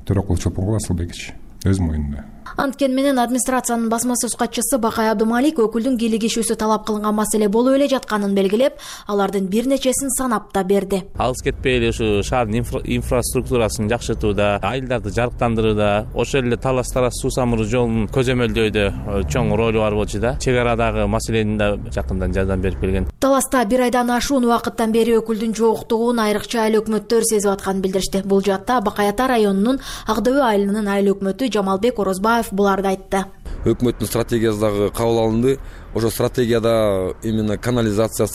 Төрөкул Чолпонкул Асылбекович өз мойнунда. Анткени менен администрациянын басма сөз катчысы Бакай Абдумалик өкүлдүн кийлигишүүсү талап кылынган маселе болуп эле жатканын белгилеп, алардын бир нечесин санап да берди. Алыс кетпей эле ушу шаардын инфраструктурасын жакшыртууда, айылдарды жарыктандырууда, ошол эле Талас Тарас суу самыруу жолун көзөмөлдөөдө чоң ролу бар болчу да. Чек арадагы маселени да жакындан жардам берип келген. Таласта бир айдан ашуун убакыттан бери өкүлдүн жоктугун айрыкча айыл өкмөттөр сезип атканын билдиришти. Бул жаатта Бакай Ата районунун Ак Дөбө айылынын айыл өкмөтү Жамалбек Орозбаев буларды айтты. Өкмөттүн стратегиясы дагы кабыл алынды. Ошо стратегияда именно канализация,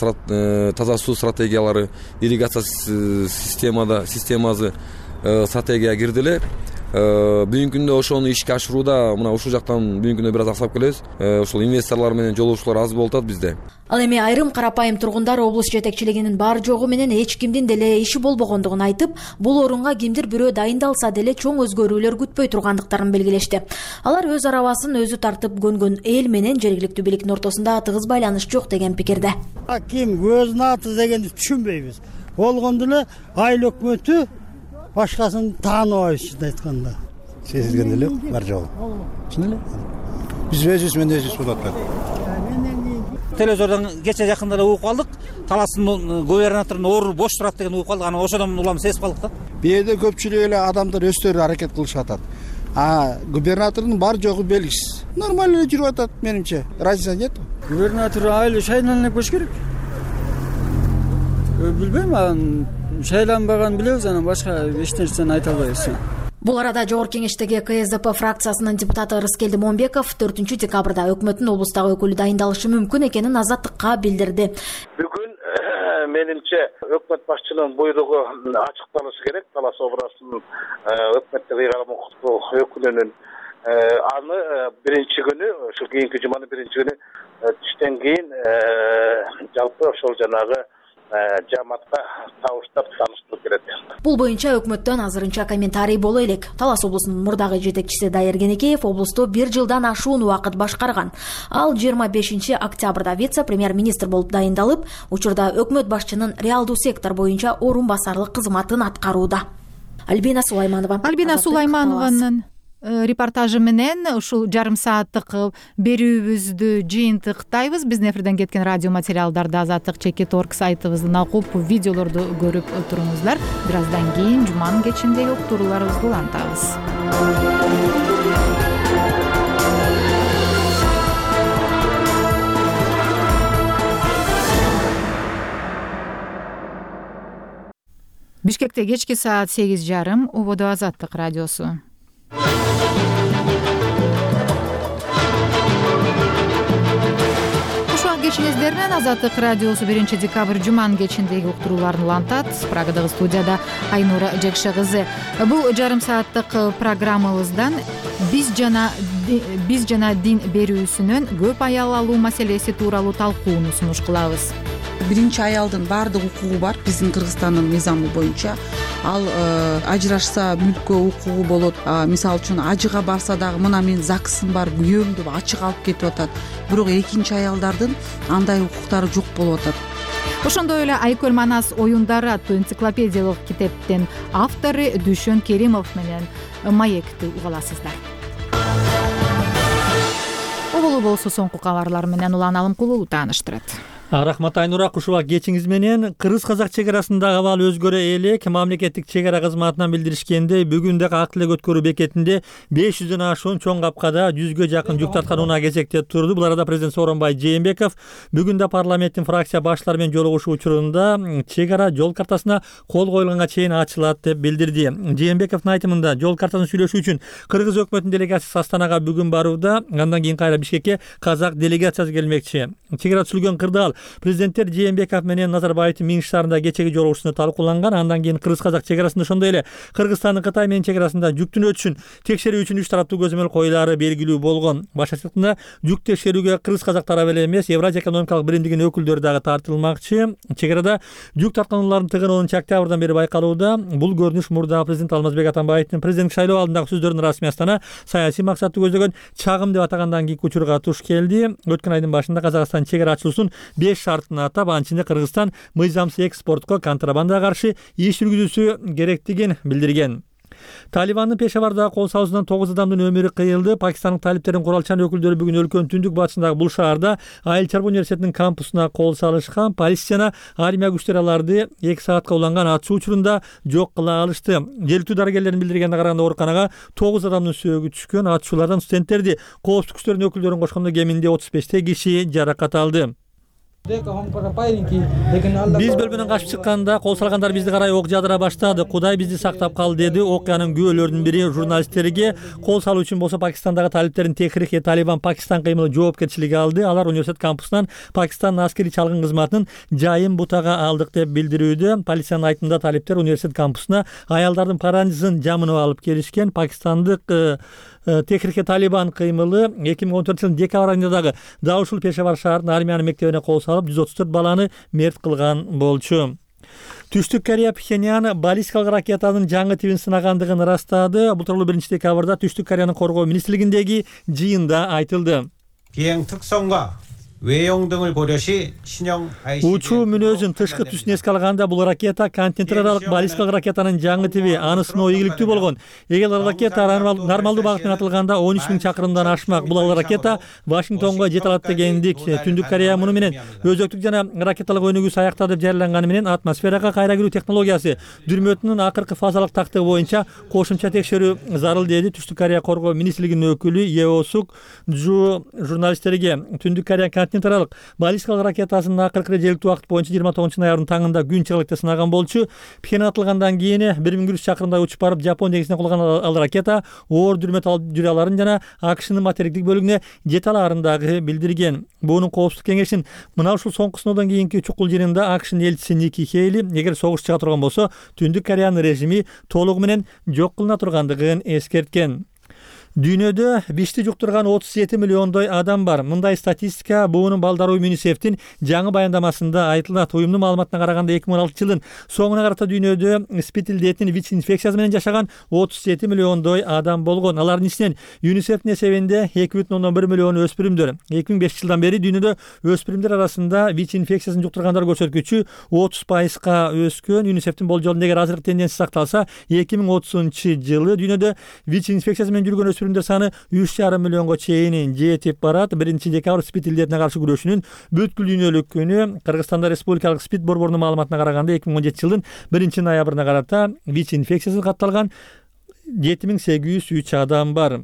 таза суу стратегиялары, ирригация системада системасы стратегияга кирди эле. Бүгүнкү күндө ошону ишке ашырууда мына ушул жактан бүгүнкү күндө бир аз аксап келебиз. Ошол инвесторлор менен жолугушуулар аз болуп атат бизде. Ал эми айрым карапайым тургундар облус жетекчилигинин бар жогу менен эч кимдин деле иши болбогондугун айтып, бул орунга кимдир бирөө дайындалса деле чоң өзгөрүүлөр күтпөй тургандыктарын белгилешти. Алар өз арабасын өзү тартып көнгөн эл менен жергиликтүү бийликтин ортосунда тыгыз байланыш жок деген пикирде. Ким өзүнүн аты дегенди түшүнбөйбүз. Болгондо эле айыл өкмөтү башкасын тааныбайбыз, чын айтканда. Сезилген эле бар жогу. Чын эле. Биз өзүбүз менен өзүбүз болуп атат. Телевизордон кече жакында эле угуп калдык. Таластын губернаторунун орду бош турат деген угуп калдык. Анан ошодон улам сезип калдык да. Бу жерде көпчүлүк эле адамдар өздөрү аракет кылышып атат. А губернатордун бар жогу белгисиз. Нормально эле жүрүп атат менимче. Разница нет. Губернатор айыл шайланып көч керек. Билбейм, анан шайланбаган билебиз, анан башка эч нерсени айта албайбыз. Бул арада Жогорку Кеңештеги ка эс дэ пэ фракциясынын депутаты Рыскелди Момбеков төртүнчү декабрда өкмөттүн облустагы өкүлү дайындалышы мүмкүн экенин Азаттыкка билдирди. Бүгүн менимче өкмөт башчынын буйругу ачыкталышы керек. Талас Образовдун өкмөттүк ыйгарым укуктуу өкүлүнүн аны биринчи күнү, ошо кийинки жуманын биринчи күнү түштөн кийин жалпы ошол жанагы жамаатка табыштап тааныштыруу керек. Бул боюнча өкмөттөн азырынча комментарий боло элек. Талас облусунун мурдагы жетекчиси Дайыр Кенекеев облусту бир жылдан ашуун убакыт башкарган. Ал жыйырма бешинчи октябрда вице-премьер-министр болуп дайындалып, учурда өкмөт башчынын реалдуу сектор боюнча орун басарлык кызматын аткарууда. Альбина Сулайманова. Альбина Сулайманованын репортажы менен ушул жарым сааттык берүүбүздү жыйынтыктайбыз. Биздин эфирден кеткен радио материалдарды Азаттык чекит орг сайтыбыздан окуп, видеолорду көрүп туруңуздар. Бир аздан кийин жуманын кечиндеги уктурууларыбызды улантабыз. Бишкекте кечки саат сегиз жарым, Ободо Азаттык радиосу. Ушул кечиңиздер менен Азаттык радиосу биринчи декабрь жуманын кечиндеги уктурууларын улантат. Прагадагы студияда Айнура Жекше кызы. Бул жарым сааттык программабыздан биз жана биз жана дин берүүсүнөн көп аял алуу маселеси тууралуу талкууну сунуш кылабыз. Биринчи аялдын баардык укугу бар биздин Кыргызстандын мыйзамы боюнча. Ал ажырашса мүлккө укугу болот. Мисалы үчүн ажыга барса дагы мына мен ЗАГСым бар, күйөөм деп ачык алып кетип атат. Бирок экинчи аялдардын андай укуктары жок болуп атат. Ошондой эле Айкөл Манас оюндары аттуу энциклопедиялык китептин автору Дүшөн Керимов менен маекти угаласыздар. Оболу болсо соңку кабарлар менен Улан Алымкулуу тааныштырат. Рахмат Айнура, кушуба кечиңиз менен кыргыз-казак чек арасындагы абал өзгөрө элек. Мамлекеттик чек ара кызматынан билдиришкенде, бүгүн дагы ак тилек өткөрүү бекетинде беш жүздөн ашуун чоң капкада жүзгө жакын жүк тарткан унаа кезекте турду. Бул арада президент Сооронбай Жээнбеков бүгүн да парламенттин фракция баштары менен жолугушуу учурунда чек ара жол картасына кол коюлганга чейин ачылат деп билдирди. Жээнбековдун айтымында жол картасын сүйлөшүү үчүн кыргыз өкмөтүнүн делегациясы Астанага бүгүн барууда. Андан кийин кайра Бишкекке казак делегациясы келмекчи. Чек ара түзүлгөн кырдаал президенттер Жээнбеков менен Назарбаевдин Минск шаарында кечеги жолугушуусунда талкууланган. Андан кийин кыргыз-казак чек арасында, ошондой эле Кыргызстандын Кытай менен чек арасында жүктүн өтүшүн текшерүү үчүн үч тараптуу көзөмөл коюлары белгилүү болгон. Баш айтымында жүк текшерүүгө кыргыз-казак тарап эле эмес, Евразия экономикалык биримдигинин өкүлдөрү дагы тартылмакчы. Чек арада жүк тарткануулардын тыгыны онунчу октябрдан бери байкалууда. Бул көрүнүш мурдагы президент Алмазбек Атамбаевдин президенттик шайлоо алдындагы сөздөрүнүн расмий Астана саясий максатты көздөгөн чагым деп атагандан кийинки учурга туш келди. Өткөн айдын башында Казакстан чек ара ачылуусунун беш шартын атап, анын ичинде Кыргызстан мыйзамсыз экспортко, контрабандага каршы иш жүргүзүүсү керектигин билдирген. Талибандын Пешавардагы кол салуусунан тогуз адамдын өмүрү кыйылды. Пакистандык талиптердин куралчан өкүлдөрү бүгүн өлкөнүн түндүк батышындагы бул шаарда Айыл чарба университетинин кампусуна кол салышкан. Полиция жана армия күчтөрү аларды эки саатка уланган атышуу учурунда жок кыла алышты. Желтүү дарыгерлердин билдиргенине караганда ооруканага тогуз адамдын сөөгү түшкөн. Атышуулардан студенттерди, коопсуздук күчтөрүнүн өкүлдөрүн кошкондо кеминде отуз беште киши жаракат алды. Биз бөлмөнөн качып чыкканда кол салгандар бизди карай ок жаадыра баштады. Кудай бизди сактап кал, деди. Окуянын күбөлөрүнүн бири журналисттерге. Кол салуу үчүн болсо Пакистандагы талиптердин Техрик-и Талибан Пакистан кыймылы жоопкерчилиги алды. Алар университет кампусунан Пакистандын аскерий чалгын кызматынын жайын бутага алдык деп билдирүүдө. Полициянын айтымында талиптер университет кампусуна аялдардын паранжысын жамынып алып келишкен. Пакистандык Техрик-и Талибан кыймылы эки миң он төртүнчү жылдын декабрь айында дагы дал ушул Пешавар шаарынын армиянын мектебине кол салып жүз отуз төрт баланы мерт кылган болчу. Түштүк Корея Пхеньян баллистикалык ракетанын жаңы тибин сынагандыгын ырастады. Бул тууралуу биринчи декабрда Түштүк Кореянын коргоо министрлигиндеги жыйында айтылды. 비행 특성과 외형 등을 고려시 신형 Учуу мүнөзүн тышкы түсүн эске алганда бул ракета континенттер аралык баллистикалык ракетанын жаңы тиби аны сыноо ийгиликтүү болгон. Эгер ал ракета нормалдуу багыт менен атылганда он үч миң чакырымдан ашмак. Бул ал ракета Вашингтонго жете алат дегендик. Түндүк Корея муну менен өзөктүк жана ракеталык өнүгүү саякта деп жарыяланганы менен атмосферага кайра кирүү технологиясы дүрмөтүнүн акыркы фазалык тактыгы боюнча кошумча текшерүү зарыл, деди Түштүк Корея коргоо министрлигинин өкүлү Еосук Жу журналисттерге. Түндүк Корея төртүнчү аралык баллистикалык ракетасын акыркы жергиликтүү убакыт боюнча жыйырма тогузунчу ноябрдын таңында күн чыгылыкта сынаган болчу. Пхен атылгандан кийин бир миң бир жүз чакырымдай учуп барып Жапон деңизине кулаган ал ракета оор дүрмөт алып жүрө аларын жана АКШнын материктик бөлүгүнө жете аларын дагы билдирген. Буунун коопсуздук кеңешинин мына ушул соңку сыноодон кийинки чукул жыйынында АКШнын элчиси Ники Хейли эгер согуш чыга турган болсо Түндүк Кореянын режими толугу менен жок кылына тургандыгын эскерткен. Дүйнөдө вичти жуктурган отуз жети миллиондой адам бар. Мындай статистика буунун балдар уюму ЮНИСЕФтин жаңы баяндамасында айтылат. Уюмдун маалыматына караганда эки миң он алтынчы жылдын соңуна карата дүйнөдө спид илдетин ВИЧ инфекциясы менен жашаган отуз жети миллиондой адам болгон. Алардын ичинен ЮНИСЕФтин эсебинде эки бүтүн ондон бир миллион өспүрүмдөр. эки миң бешинчи жылдан бери дүйнөдө өспүрүмдөр арасында ВИЧ инфекциясын жуктургандар көрсөткүчү отуз пайызга өскөн. ЮНИСЕФтин болжолунда эгер азыркы тенденция сакталса, эки миң отузунчу жылы дүйнөдө ВИЧ инфекциясы менен жүргөн өспүрүмдөр саны үч жарым миллионго чейин жетип барат. биринчи декабрь спид илдетине каршы күрөшүүнүн бүткүл дүйнөлүк күнү. Кыргызстанда республикалык спид борборунун маалыматына караганда эки миң он жетинчи жылдын биринчи ноябрына карата ВИЧ инфекциясы катталган жети миң сегиз жүз үч адам бар.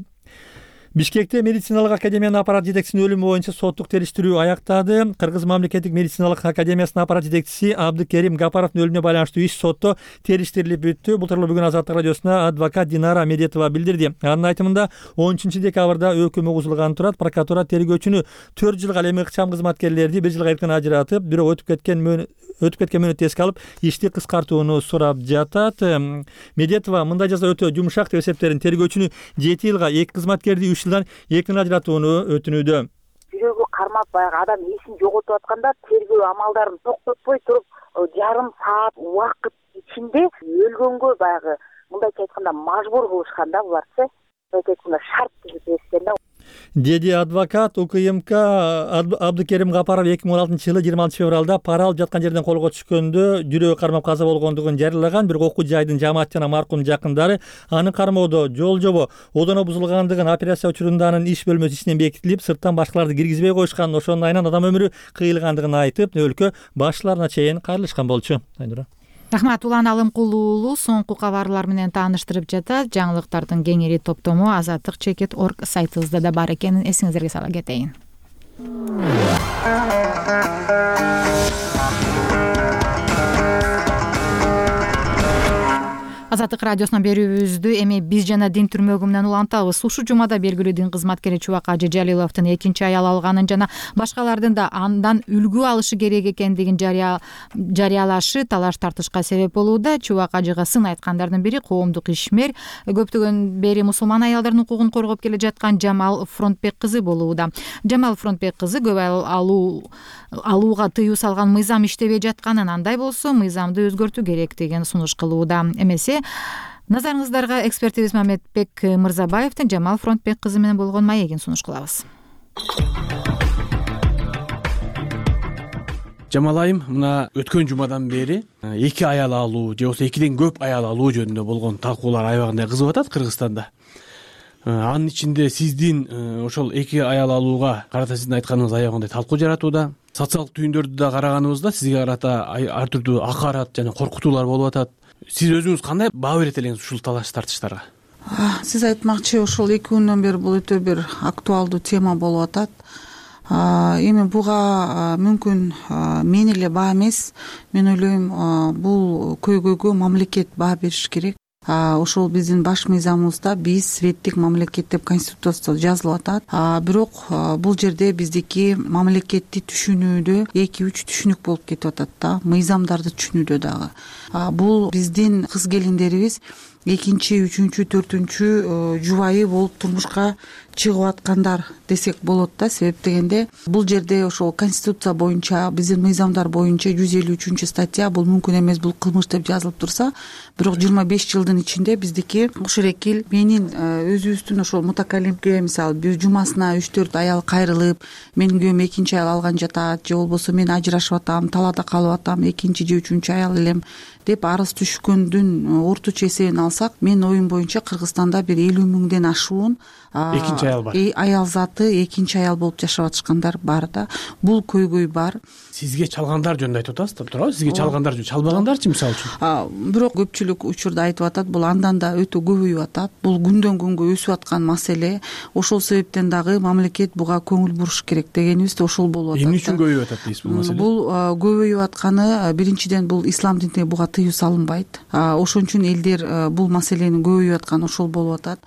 Бишкекте медициналык академиянын аппарат жетекчисинин өлүмү боюнча соттук териштирүү аяктады. Кыргыз мамлекеттик медициналык академиясынын аппарат жетекчиси Абдыкерим Гапаровдун өлүмүнө байланыштуу иш сотто териштирилип бүттү. Бул тууралуу бүгүн Азаттык радиосуна адвокат Динара Медетова билдирди. Анын айтымында он үчүнчү декабрда өкүм угузулган турат. Прокуратура тергөөчүнү төрт жылга, ал эми ыкчам кызматкерлерди бир жылга эрктен ажыратып, бирок өтүп кеткен өтүп кеткен мөөнөттү эске алып, ишти кыскартууну сурап жатат. Медетова мындай жаза өтө жумшак деп эсептедин. Тергөөчүнү жети жылга, эки кызматкерди үч жылдан эркин ажыратууну өтүнүүдө. Жүрөгү кармап баягы адам эсин жоготуп атканда тергөө амалдарын токтотпой туруп жарым саат убакыт ичинде өлгөнгө баягы мындайча айтканда мажбур кылышкан да буларчы. Мындайча айтканда шарт түзүп беришкен да. Деди адвокат. УКМК Абдыкерим Гапаров эки миң он алтынчы жылы жыйырма алтынчы февралда пара алып жаткан жерден колго түшкөндө жүрөгү кармап каза болгондугун жарыялаган. Бирок окуу жайдын жамаат жана маркумдун жакындары анын кармоодо жол жобо одоно бузулгандыгын операция учурунда анын иш бөлмөсү ичинен бекитилип, сырттан башкаларды киргизбей коюшканын, ошонун айынан адам өмүрү кыйылгандыгын айтып, өлкө башчыларына чейин кайрылышкан болчу. Рахмат. Улан Алымкулуу уулу соңку кабарлар менен тааныштырып жатат. Жаңылыктардын кеңири топтому азаттык чекит точка орг сайтыбызда да бар экенин эсиңиздерге сала кетейин. Азаттык радиосунан берүүбүздү эми биз жана дин түрмөгү менен улантабыз. Ушул жумада белгилүү дин кызматкери Чубак Ажы Жалиловдун экинчи аял алганын жана башкалардын да андан үлгү алышы керек экендигин жарыялашы талаш тартышка себеп болууда. Чубак Ажыга сын айткандардын бири коомдук ишмер, көптөгөн бери мусулман аялдардын укугун коргоп келе жаткан Жамал Фронтбек кызы болууда. Жамал Фронтбек кызы көп аял алуу алууга тыюу салган мыйзам иштебей жатканын, андай болсо мыйзамды өзгөртүү керек деген сунуш кылууда. Эмесе назарыңыздарга экспертибиз Мамедбек Мырзабаевдин Жамал Фронтбек кызы менен болгон маегин сунуш кылабыз. Жамал айым, мына өткөн жумадан бери эки аял алуу же болбосо экиден көп аял алуу жөнүндө болгон талкуулар аябагандай кызып атат Кыргызстанда. Анын ичинде сиздин ошол эки аял алууга карата сиздин айтканыңыз аябагандай талкуу жаратууда. Социалдык түйүндөрдү да караганыбызда сизге карата ар түрдүү акарат жана коркутуулар болуп атат. Сиз өзүңүз кандай баа берет элеңиз ушул талаш тартыштарга? Сиз айтмакчы, ошол эки күндөн бери бул өтө бир актуалдуу тема болуп атат. Эми буга мүмкүн мен эле баа эмес, мен ойлойм бул көйгөйгө мамлекет баа бериш керек. Ошол биздин баш мыйзамыбызда биз светтик мамлекет деп конституцияда жазылып атат. Бирок бул жерде биздики мамлекетти түшүнүүдө эки үч түшүнүк болуп кетип атат да, мыйзамдарды түшүнүүдө дагы. Бул биздин кыз келиндерибиз экинчи, үчүнчү, төртүнчү жубайы болуп турмушка чыгып аткандар десек болот да. Себеп дегенде бул жерде ошол конституция боюнча, биздин мыйзамдар боюнча жүз элүү үчүнчү статья бул мүмкүн эмес, бул кылмыш деп жазылып турса, бирок жыйырма беш жылдын ичинде биздики ушурекил менин өзүбүздүн ошол мутакалимге, мисалы бир жумасына үч төрт аял кайрылып, менин күйөөм экинчи аял алган жатат же болбосо мен ажырашып атам, талаада калып атам, экинчи же үчүнчү аял элем деп арыз түшкөндүн орточо эсебин алсак, менин оюм боюнча Кыргызстанда бир элүү миңден ашуун экинчи аял бар. Аял заты экинчи аял болуп жашап атышкандар бар да. Бул көйгөй бар. Сизге чалгандар жөнүндө айтып атасыздар, туурабы? Сизге чалгандар жөнүндө, чалбагандарчы мисалы үчүн? Бирок көпчүлүк учурда айтып атат, бул андан да өтө көбөйүп атат. Бул күндөн күнгө өсүп аткан маселе. Ошол себептен дагы мамлекет буга көңүл буруш керек дегенибиз да ошол болуп атат. Эмне үчүн көбөйүп атат дейсиз бул маселе? Бул көбөйүп атканы биринчиден бул ислам динине буга тыюу салынбайт. Ошон үчүн элдер бул маселенин көбөйүп атканы ошол болуп атат.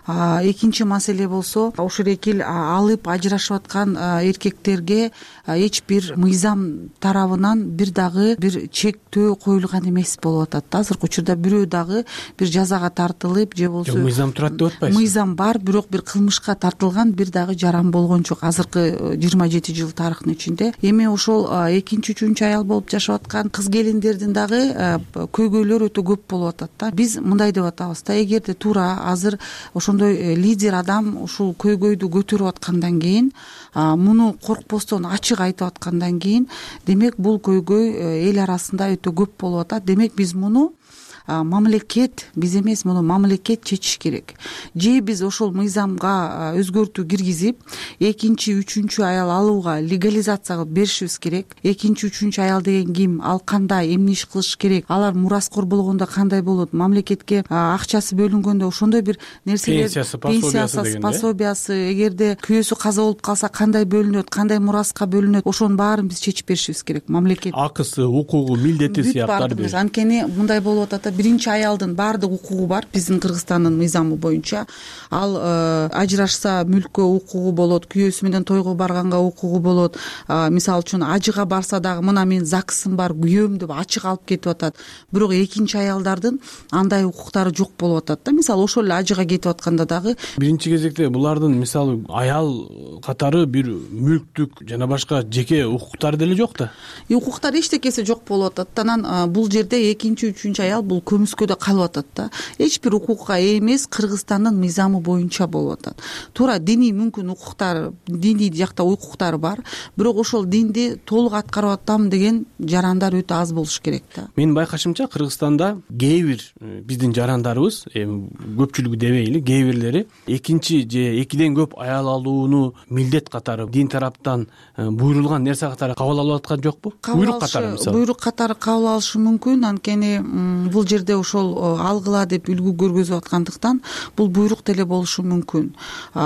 Экинчи маселе болсо, ошол алып ажырашып аткан эркектерге эч бир мыйзам тарабынан бир дагы бир чектөө коюлган эмес болуп атат. Азыркы учурда бирөө дагы бир жазага тартылып же болбосо мыйзам турат деп атпайсызбы? Мыйзам бар, бирок бир кылмышка тартылган бир дагы жаран болгон жок азыркы жыйырма жети жыл тарыхтын ичинде. Эми ошол экинчи, үчүнчү аял болуп жашап аткан кыз келиндердин дагы көйгөйлөрү өтө көп болуп атат да. Биз мындай деп атабыз да, эгерде туура азыр ошондой лидер адам ушул көйгөйдү көтөрүп аткандан кийин, муну коркпостон ачык айтып аткандан кийин, демек бул көйгөй эл арасында өтө көп болуп атат. Демек биз муну мамлекет, биз эмес, муну мамлекет чечиш керек. Же биз ошол мыйзамга өзгөртүү киргизип, экинчи, үчүнчү аял алууга легализация кылып беришибиз керек. Экинчи, үчүнчү аял деген ким, ал кандай, эмне иш кылыш керек, алар мураскор болгондо кандай болот, мамлекетке акчасы бөлүнгөндө ошондой бир нерселер, пенсиясы, пособиясы, эгерде күйөөсү каза болуп калса кандай бөлүнөт, кандай мураска бөлүнөт, ошонун баарын биз чечип беришибиз керек. Мамлекет акысы, укугу, милдети сыяктуу. Анткени мындай болуп атат, биринчи аялдын баардык укугу бар биздин Кыргызстандын мыйзамы боюнча. Ал ажырашса мүлккө укугу болот, күйөөсү менен тойго барганга укугу болот. Мисалы үчүн ажыга барса дагы мына мен ЗАГСым бар, күйөөм деп ачык алып кетип атат. Бирок экинчи аялдардын андай укуктары жок болуп атат да. Мисалы ошол эле ажыга кетип атканда дагы биринчи кезекте булардын мисалы аял катары бир мүлктүк жана башка жеке укуктары деле жок да. Укуктар эчтекеси жок болуп атат. Анан бул жерде экинчи, үчүнчү аял бул көмүскөдө калып атат да. Эч бир укукка ээ эмес, Кыргызстандын мыйзамы боюнча болуп атат. Туура диний мүмкүн укуктар, диний жакта укуктар бар, бирок ошол динди толук аткарып атам деген жарандар өтө аз болуш керек да. Менин байкашымча Кыргызстанда кээ бир биздин жарандарыбыз, эми көпчүлүгү дебейли, кээ бирлери экинчи же экиден көп аял алууну милдет катары дин тараптан буйрулган нерсе катары кабыл алып аткан жокпу? Буйрук катары мисалы. Буйрук катары кабыл алышы мүмкүн, анткени бул жерде ошол алгыла деп үлгү көргөзүп аткандыктан бул буйрук деле болушу мүмкүн.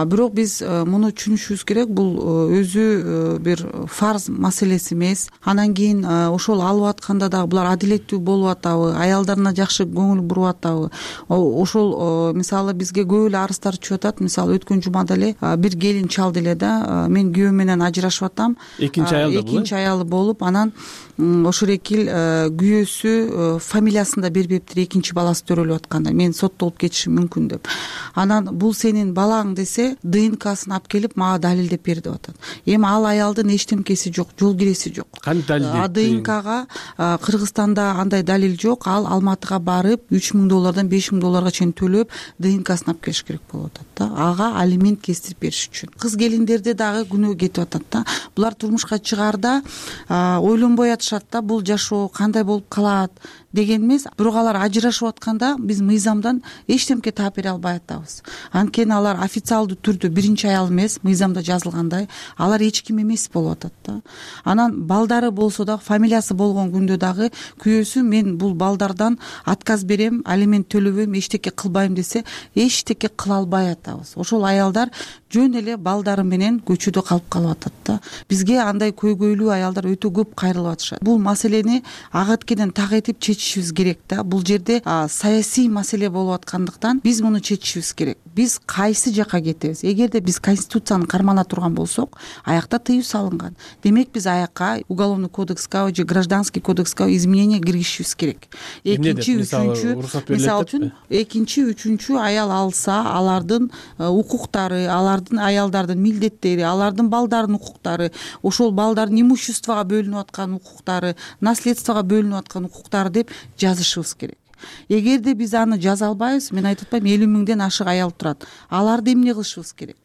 Бирок биз муну түшүнүшүбүз керек, бул өзү бир фарз маселеси эмес. Анан кийин ошол алып атканда дагы булар адилеттүү болуп атабы, аялдарына жакшы көңүл буруп атабы? Ошол мисалы бизге көп эле арыздар түшүп атат. Мисалы өткөн жумада эле бир келин чалды эле да, мен күйөөм менен ажырашып атам. Экинчи аялы болуп, экинчи аялы болуп, анан ошол экил күйөөсү фамилиясын да бербептир, экинчи баласы төрөлүп атканда мен соттолуп кетишим мүмкүн деп. Анан бул сенин балаң десе, ДНКсын алып келип мага далилдеп бер деп атат. Эми ал аялдын эчтемкеси жок, жол киреси жок. Кантип далилдейт? ДНКга Кыргызстанда андай далил жок. Ал Алматыга барып үч миң доллардан беш миң долларга чейин төлөп ДНКсын алып келиш керек болуп атат да. Ага алимент кестирип бериш үчүн. Кыз келиндерде дагы күнөө кетип атат да. Булар турмушка чыгаарда ойлонбой атышат да, бул жашоо кандай болуп калат деген эмес. Бирок алар ажырашып атканда биз мыйзамдан эчтемке таап бере албай атабыз. Анткени алар официалдуу түрдө биринчи аял эмес, мыйзамда жазылгандай, алар эч ким эмес болуп атат да. Анан балдары болсо дагы, фамилиясы болгон күндө дагы күйөөсү мен бул балдардан отказ берем, алимент төлөбөйм, эчтеке кылбайм десе, эчтеке кыла албай атабыз. Ошол аялдар жөн эле балдары менен көчөдө калып калып атат да. Бизге андай көйгөйлүү аялдар өтө көп кайрылып атышат. Бул маселени ага эткеден так этип чечишибиз керек да. Бул жерде саясий маселе болуп аткандыктан биз муну чечишибиз керек. Биз кайсы жакка кетебиз? Эгерде биз конституцияны кармана турган болсок, аякта тыюу салынган. Демек биз аякка уголовный кодекске же гражданский кодекске изменение киргизишибиз керек. Экинчи, үчүнчү, мисалы үчүн, экинчи, үчүнчү аял алса, алардын укуктары, алардын аялдардын милдеттери, алардын балдарынын укуктары, ошол балдардын имуществого бөлүнүп аткан укуктары, наследствого бөлүнүп аткан укуктары деп жазышыбыз керек. Эгерде биз аны жаза албайбыз, мен айтып атпайм элүү миңден ашык аял турат. Аларды эмне кылышыбыз керек?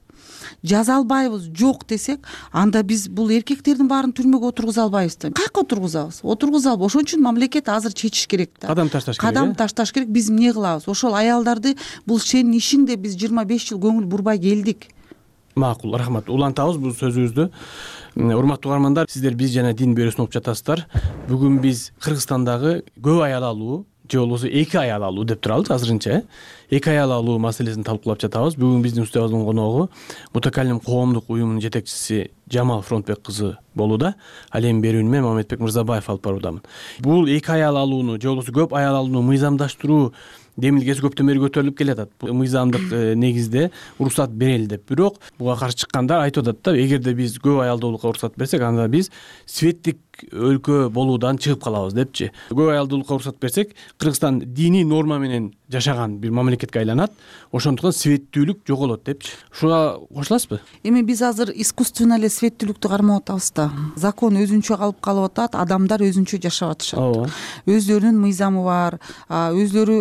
жаза албайбыз жок десек, анда биз бул эркектердин баарын түрмөгө отургуза албайбыз да. Каяка отургузабыз? Отургуза албайбыз. Ошон үчүн мамлекет азыр чечиш керек да. Кадам ташташ керек. Кадам ташташ керек. Биз эмне кылабыз? Ошол аялдарды бул сенин ишиң деп биз жыйырма беш жыл көңүл бурбай келдик. Макул, рахмат. Улантабыз бул сөзүбүздү. Урматтуу угармандар, сиздер биз жана Дин бюросуна угуп жатасыздар. Бүгүн биз Кыргызстандагы көп аял алуу же болбосо эки аял алуу деп турабыз азырынча. Эки аял алуу маселесин талкуулап жатабыз. Бүгүн биздин студиябыздын коногу Мутакаллим коомдук уюмунун жетекчиси Жамал Фронтбек кызы болууда. Ал эми берүүнү мен Маматбек Мырзабаев алып баруудамын. Бул эки аял алууну же болбосо көп аял алууну мыйзамдаштыруу демилгеси көптөн бери көтөрүлүп келатат. Мыйзамдык негизде уруксат берели деп. Бирок буга каршы чыккандар айтып атат да, эгерде биз көп аялдуулукка уруксат берсек, анда биз светтик өлкө болуудан чыгып калабыз депчи. Көп аялдуулукка уруксат берсек, Кыргызстан диний норма менен жашаган бир мамлекетке айланат. Ошондуктан светтүүлүк жоголот депчи. Ушуга кошуласызбы? Эми биз азыр искусственно эле светтүүлүктү кармап атабыз да. Закон өзүнчө калып калып атат, адамдар өзүнчө жашап атышат. Ооба. Өзлөрүнүн мыйзамы бар, өзлөрү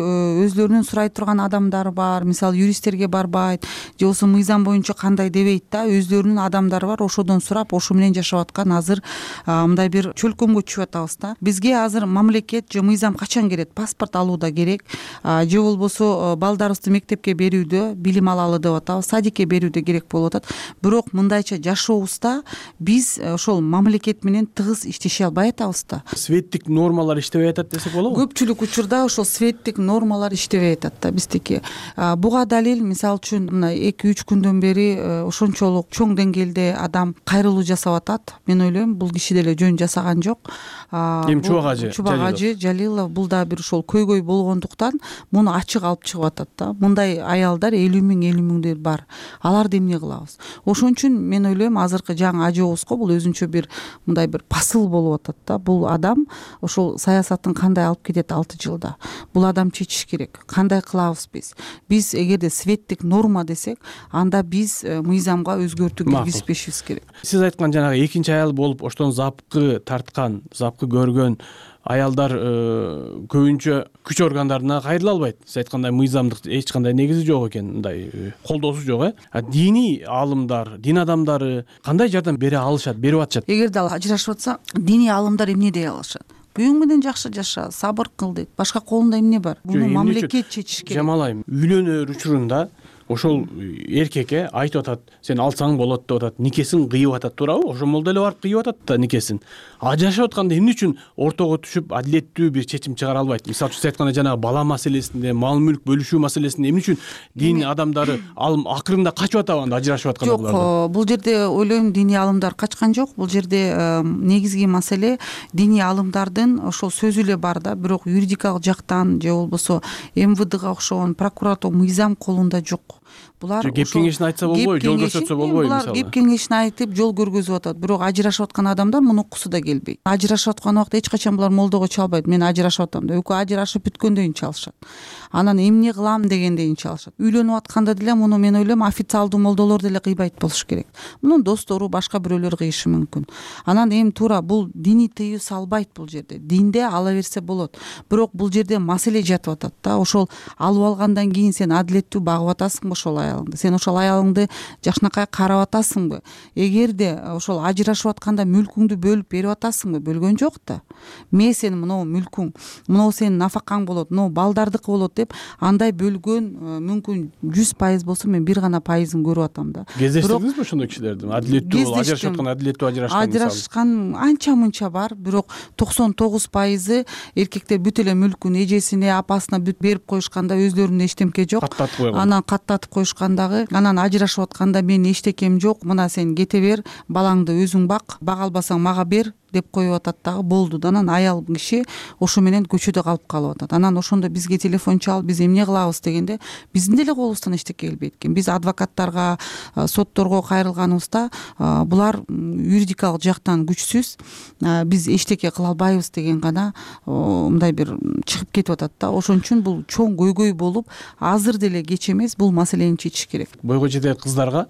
өзлөрүнүн сурай турган адамдары бар. Мисалы юристтерге барбайт, же болбосо мыйзам боюнча кандай дебейт да, өзлөрүнүн адамдары бар, ошодон сурап, ошо менен жашап аткан азыр мындай бир чөлкөмгө түшүп атабыз да. Бизге азыр мамлекет же мыйзам качан керек? Паспорт алууда керек, же болбосо балдарыбызды мектепке берүүдө, билим алалы деп атабыз, садикке берүүдө керек болуп атат. Бирок мындайча жашообузда биз ошол мамлекет менен тыгыз иштеше албай атабыз да. Светтик нормалар иштебей атат десек болобу? Көпчүлүк учурда ошол светтик нормалар иштебей атат да биздики. Буга далил, мисалы үчүн мына эки үч күндөн бери ошончолук чоң деңгээлде адам кайрылуу жасап атат. Мен ойлойм, бул киши деле жөн жасаган жок. Эми Чубак ажы, Чубак ажы Жалилов бул да бир ошол көйгөй болгондуктан муну ачык алып чыгып атат да. Мындай аялдар элүү миң элүү миңдей бар. Аларды эмне кылабыз? Ошон үчүн мен ойлойм, азыркы жаңы ажыбызга бул өзүнчө бир мындай бир посыл болуп атат да. Бул адам ошол саясатын кандай алып кетет алты жылда? Бул адам чечиш керек. Кандай кылабыз биз? Биз эгерде светтик норма десек, анда биз мыйзамга өзгөртүү киргизбешибиз керек. Сиз айткан жанагы экинчи аял болуп оштон запкы тарткан, запкы көргөн аялдар көбүнчө күч органдарына кайрыла албайт. Сиз айткандай мыйзамдык эч кандай негизи жок экен, мындай колдоосу жок, э. Диний аалымдар, дин адамдары кандай жардам бере алышат, берип атышат? Эгерде ал ажырашып атса, диний аалымдар эмне дей алышат? Буюң менен жакшы жаша, сабыр кыл дейт. Башка колунда эмне бар? Буну мамлекет чечиш керек. Жамал айым, үйлөнөр учурунда ошол эркекке айтып атат, сен алсаң болот деп атат, никесин кыйып атат, туурабы? Ошол да эле барып кыйып атат да никесин. Ажырашып атканда эмне үчүн ортого түшүп адилеттүү бир чечим чыгара албайт? Мисалы үчүн сиз айткандай жанагы бала маселесинде, мал мүлк бөлүшүү маселесинде эмне үчүн дин адамдары алым акырында качып атабы анда ажырашып атканда булар? Жок, бул жерде ойлойм диний аалымдар качкан жок. Бул жерде негизги маселе диний аалымдардын ошол сөзү эле бар да, бирок юридикалык жактан же болбосо эм вэ дга окшогон прокуратура мыйзам колунда жок. Булар кеп кеңешин айтса болбойбу, жол көрсөтсө болбойбу мисалы. Булар кеп кеңешин айтып, жол көргөзүп атат. Бирок ажырашып аткан адамдар муну уккусу да келбейт. Ажырашып аткан убакта эч качан булар молдого чалбайт. Мен ажырашып атам деп. Экөө ажырашып бүткөндөн чалышат. Анан эмне кылам дегенден чалышат. Үйлөнүп атканда деле муну мен ойлойм, официалдуу молдолор деле кыйбайт болуш керек. Мунун достору, башка бирөөлөр кыйышы мүмкүн. Анан эми туура бул диний тыюу салбайт бул жерде. Динде ала берсе болот. Бирок бул жерде маселе жатып атат да. Ошол алып алгандан кийин сен адилеттүү багып атасыңбы ошол аялыңды? Сен ошол аялыңды жакшынакай карап атасыңбы? Эгерде ошол ажырашып атканда мүлкүңдү бөлүп берип атасыңбы? Бөлгөн жок да. Мен сенин мынау мүлкүң, мынау сенин нафакаң болот, мынау балдардыкы болот деп андай бөлгөн мүмкүн жүз пайыз болсо мен бир гана пайызын көрүп атам да. Кездештиңизби ошондой кишилерди? Адилеттүү ажырашып аткан, адилеттүү ажырашкан мисалы. Ажырашкан анча-мынча бар, бирок токсон тогуз пайызы эркектер бүт эле мүлкүн эжесине, апасына бүт берип коюшканда өзлөрүнүн эчтемке жок. Каттатып койгон. Анан каттатып коюшкандагы, анан ажырашып атканда менин эчтекем жок, мына сен кете бер, балаңды өзүң бак, бага албасаң мага бер деп коюп атат дагы, болду да. Анан аял киши ошо менен көчөдө калып калып атат. Анан ошондо бизге телефон чалып, биз эмне кылабыз дегенде, биздин деле колубуздан эчтеке келбейт экен. Биз адвокаттарга, сотторго кайрылганыбызда булар юридикалык жактан күчсүз, биз эчтеке кыла албайбыз деген гана мындай бир чыгып кетип атат да. Ошон үчүн бул чоң көйгөй болуп, азыр деле кеч эмес, бул маселени чечиш керек. Бойго жетер кыздарга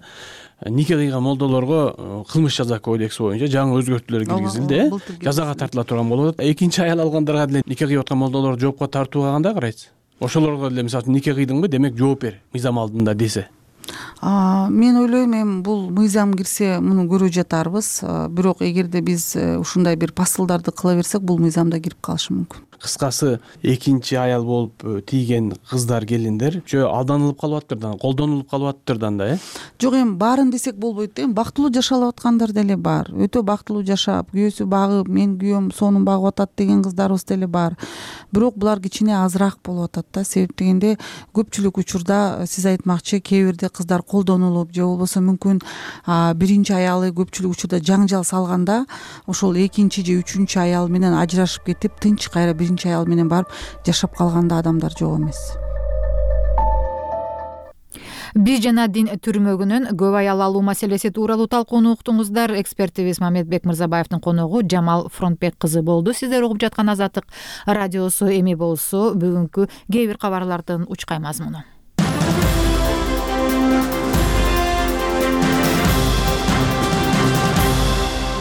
нике кыйган молдолорго кылмыш жаза кодекси боюнча жаңы өзгөртүүлөр киргизилди, э? Жазага тартыла турган болуп атат. Экинчи аял алгандарга деле нике кыйып аткан молдолорду жоопко тартууга кандай карайсыз? Ошолорго деле мисалы үчүн нике кыйдыңбы, демек жооп бер мыйзам алдында десе. мен ойлойм эми бул мыйзам кирсе муну көрүп жатарбыз, бирок эгерде биз ушундай бир посылдарды кыла берсек бул мыйзамда кирип калышы мүмкүн. Кыскасы экинчи аял болуп тийген кыздар, келиндер жөө алданылып калып атыптыр да, колдонулуп калып атыптыр да анда, э? Жок, эми баарын десек болбойт да. Эми бактылуу жашалып аткандар деле бар. Өтө бактылуу жашап, күйөөсү багып, мен күйөөм сонун багып атат деген кыздарыбыз деле бар. Бирок булар кичине азыраак болуп атат да. Себеп дегенде көпчүлүк учурда сиз айтмакчы, кээ бирде кыздар колдонулуп же болбосо мүмкүн биринчи аялы көпчүлүк учурда жаңжал салганда ошол экинчи же үчүнчү аял менен ажырашып кетип, тынч кайра биринчи аял менен барып жашап калганда адамдар жок эмес. Биз жана дин түрмөгүнүн көп аял алуу маселеси тууралуу талкууну уктуңуздар. Экспертибиз Мамедбек Мырзабаевдин коногу Жамал Фронтбек кызы болду. Сиздер угуп жаткан Азаттык радиосу. Эми болсо бүгүнкү кээ бир кабарлардын учкай мазмуну.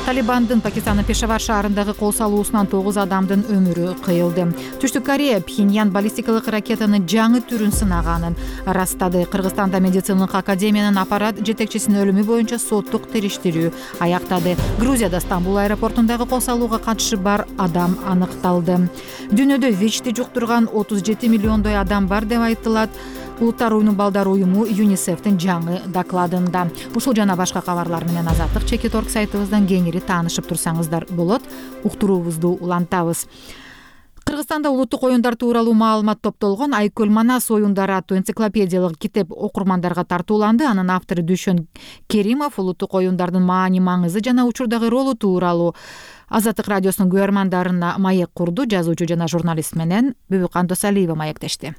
Талибандын Пакистандын Пешавар шаарындагы кол салуусунан тогуз адамдын өмүрү кыйылды. Түштүк Корея Пхеньян баллистикалык ракетанын жаңы түрүн сынаганын ырастады. Кыргызстанда медициналык академиянын аппарат жетекчисинин өлүмү боюнча соттук териштирүү аяктады. Грузияда Стамбул аэропортундагы кол салууга катышы бар адам аныкталды. Дүйнөдө ВИЧти жуктурган отуз жети миллиондой адам бар деп айтылат. Улуттар уюмунун балдар уюму ЮНИСЕФтин жаңы докладында. Ушул жана башка кабарлар менен Азаттык чекит орг сайтыбыздан кеңири таанышып турсаңыздар болот. Уктуруубузду улантабыз. Кыргызстанда улуттук оюндар тууралуу маалымат топтолгон Айкөл Манас оюндары аттуу энциклопедиялык китеп окурмандарга тартууланды. Анын автору Дүйшөн Керимов улуттук оюндардын маани маңызы жана учурдагы ролу тууралуу Азаттык радиосунун көрөрмандарына маек курду. Жазуучу жана журналист менен Бүбүкан Досалиева маектешти.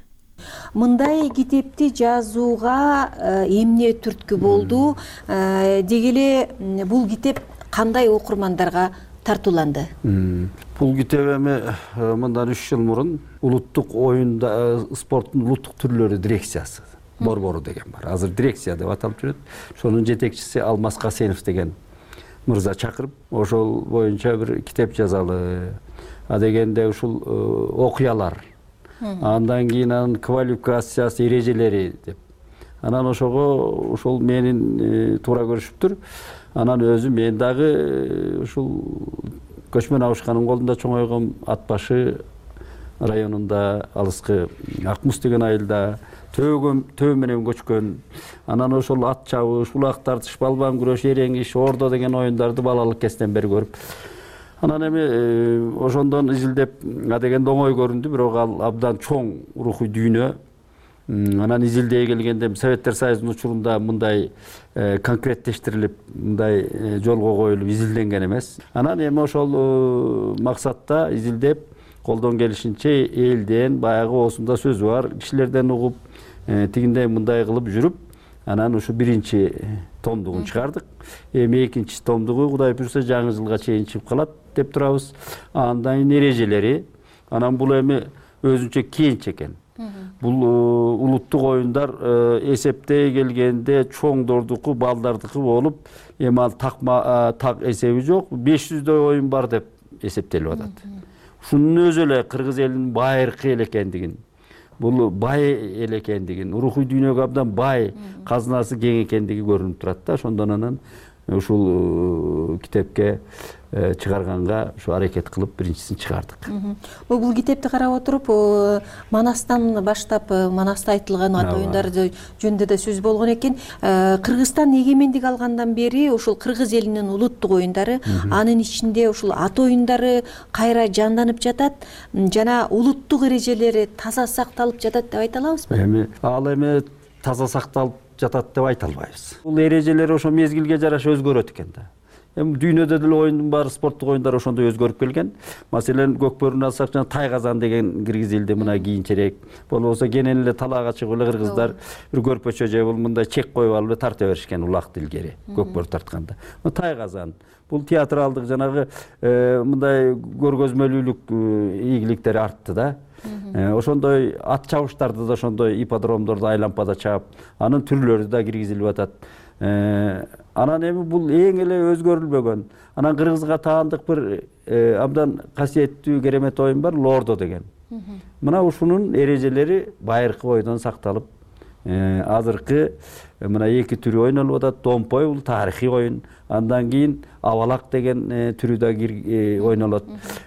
Мындай китепти жазууга эмне түрткү болду? Деги эле бул китеп кандай окурмандарга тартууланды? Бул китеп эми мындан үч жыл мурун улуттук оюнда спорттун улуттук түрлөрү дирекциясы борбору деген бар. Азыр дирекция деп аталып жүрөт. Ошонун жетекчиси Алмаз Касенов деген мырза чакырып, ошол боюнча бир китеп жазалы. А дегенде ушул окуялар, андан кийин анын квалификациясы, эрежелери деп. Анан ошого ушул менин туура көрүшүптүр. Анан өзү мен дагы ушул Көчмөн Абышкандын колунда чоңойгом, Ат башы районунда алыскы Акмус деген айылда төөгө төө менен көчкөн. Анан ошол ат чабыш, улак тартыш, балбан күрөш, эреңиш, ордо деген оюндарды балалык кезинен бери көрүп. Анан эми ошондон изилдеп, а дегенде оңой көрүндү, бирок ал абдан чоң рухий дүйнө. Анан изилдей келгенде Советтер Союзунун учурунда мындай конкреттештирилип, мындай жолго коюлуп изилденген эмес. Анан эми ошол максатта изилдеп, колдон келишинче элден, баягы осунда сөзү бар кишилерден угуп, тигиндей мындай кылып жүрүп, анан ушу биринчи томдугун чыгардык. Эми экинчи томдугу Кудай буйрса жаңы жылга чейин чыгып калат деп турабыз. Андан кийин эрежелери, анан бул эми өзүнчө кенч экен. Бул улуттук оюндар эсептей келгенде чоңдордуку, балдардыкы болуп, эми ал такма так эсеби жок, беш жүздөй оюн бар деп эсептелип атат. Ушунун өзү эле кыргыз элинин байыркы эл экендигин, бул бай эл экендигин, рухий дүйнөгө абдан бай, казынасы кең экендиги көрүнүп турат да. Ошондон анан ушул китепке чыгарганга ушу аракет кылып биринчисин чыгардык. Бул китепти карап отуруп, Манастан баштап, Манаста айтылган ат оюндар жөнүндө да сөз болгон экен. Кыргызстан эгемендик алгандан бери ушул кыргыз элинин улуттук оюндары, анын ичинде ушул ат оюндары кайра жанданып жатат жана улуттук эрежелери таза сакталып жатат деп айта алабызбы? Эми ал эми таза сакталып жатат деп айта албайбыз. Бул эрежелер ошо мезгилге жараша өзгөрөт экен да. Эми дүйнөдө деле оюндун баары, спорттук оюндар ошондой өзгөрүп келген. Маселен, көкбөрүнү алсак, жана тайказан деген киргизилди мына кийинчерээк. Болбосо кенен эле талаага чыгып эле кыргыздар бир көрпөчө же бул мындай чек коюп алып эле тарта беришкен улакты илгери, көкбөрү тартканда. Тайказан бул театралдык жанагы мындай көргөзмөлүүлүк ийгиликтери артты да. Ошондой ат чабыштарды да ошондой ипподромдорду айлампада чаап, анын түрлөрү да киргизилип атат. Анан эми бул эң эле өзгөрүлбөгөн. Анан кыргызга таандык бир абдан касиеттүү керемет оюн бар, лордо деген. Мына ушунун эрежелери байыркы бойдон сакталып азыркы мына эки түрү ойнолуп атат. Домпой бул тарыхый оюн. Андан кийин абалак деген түрү да ойнолот.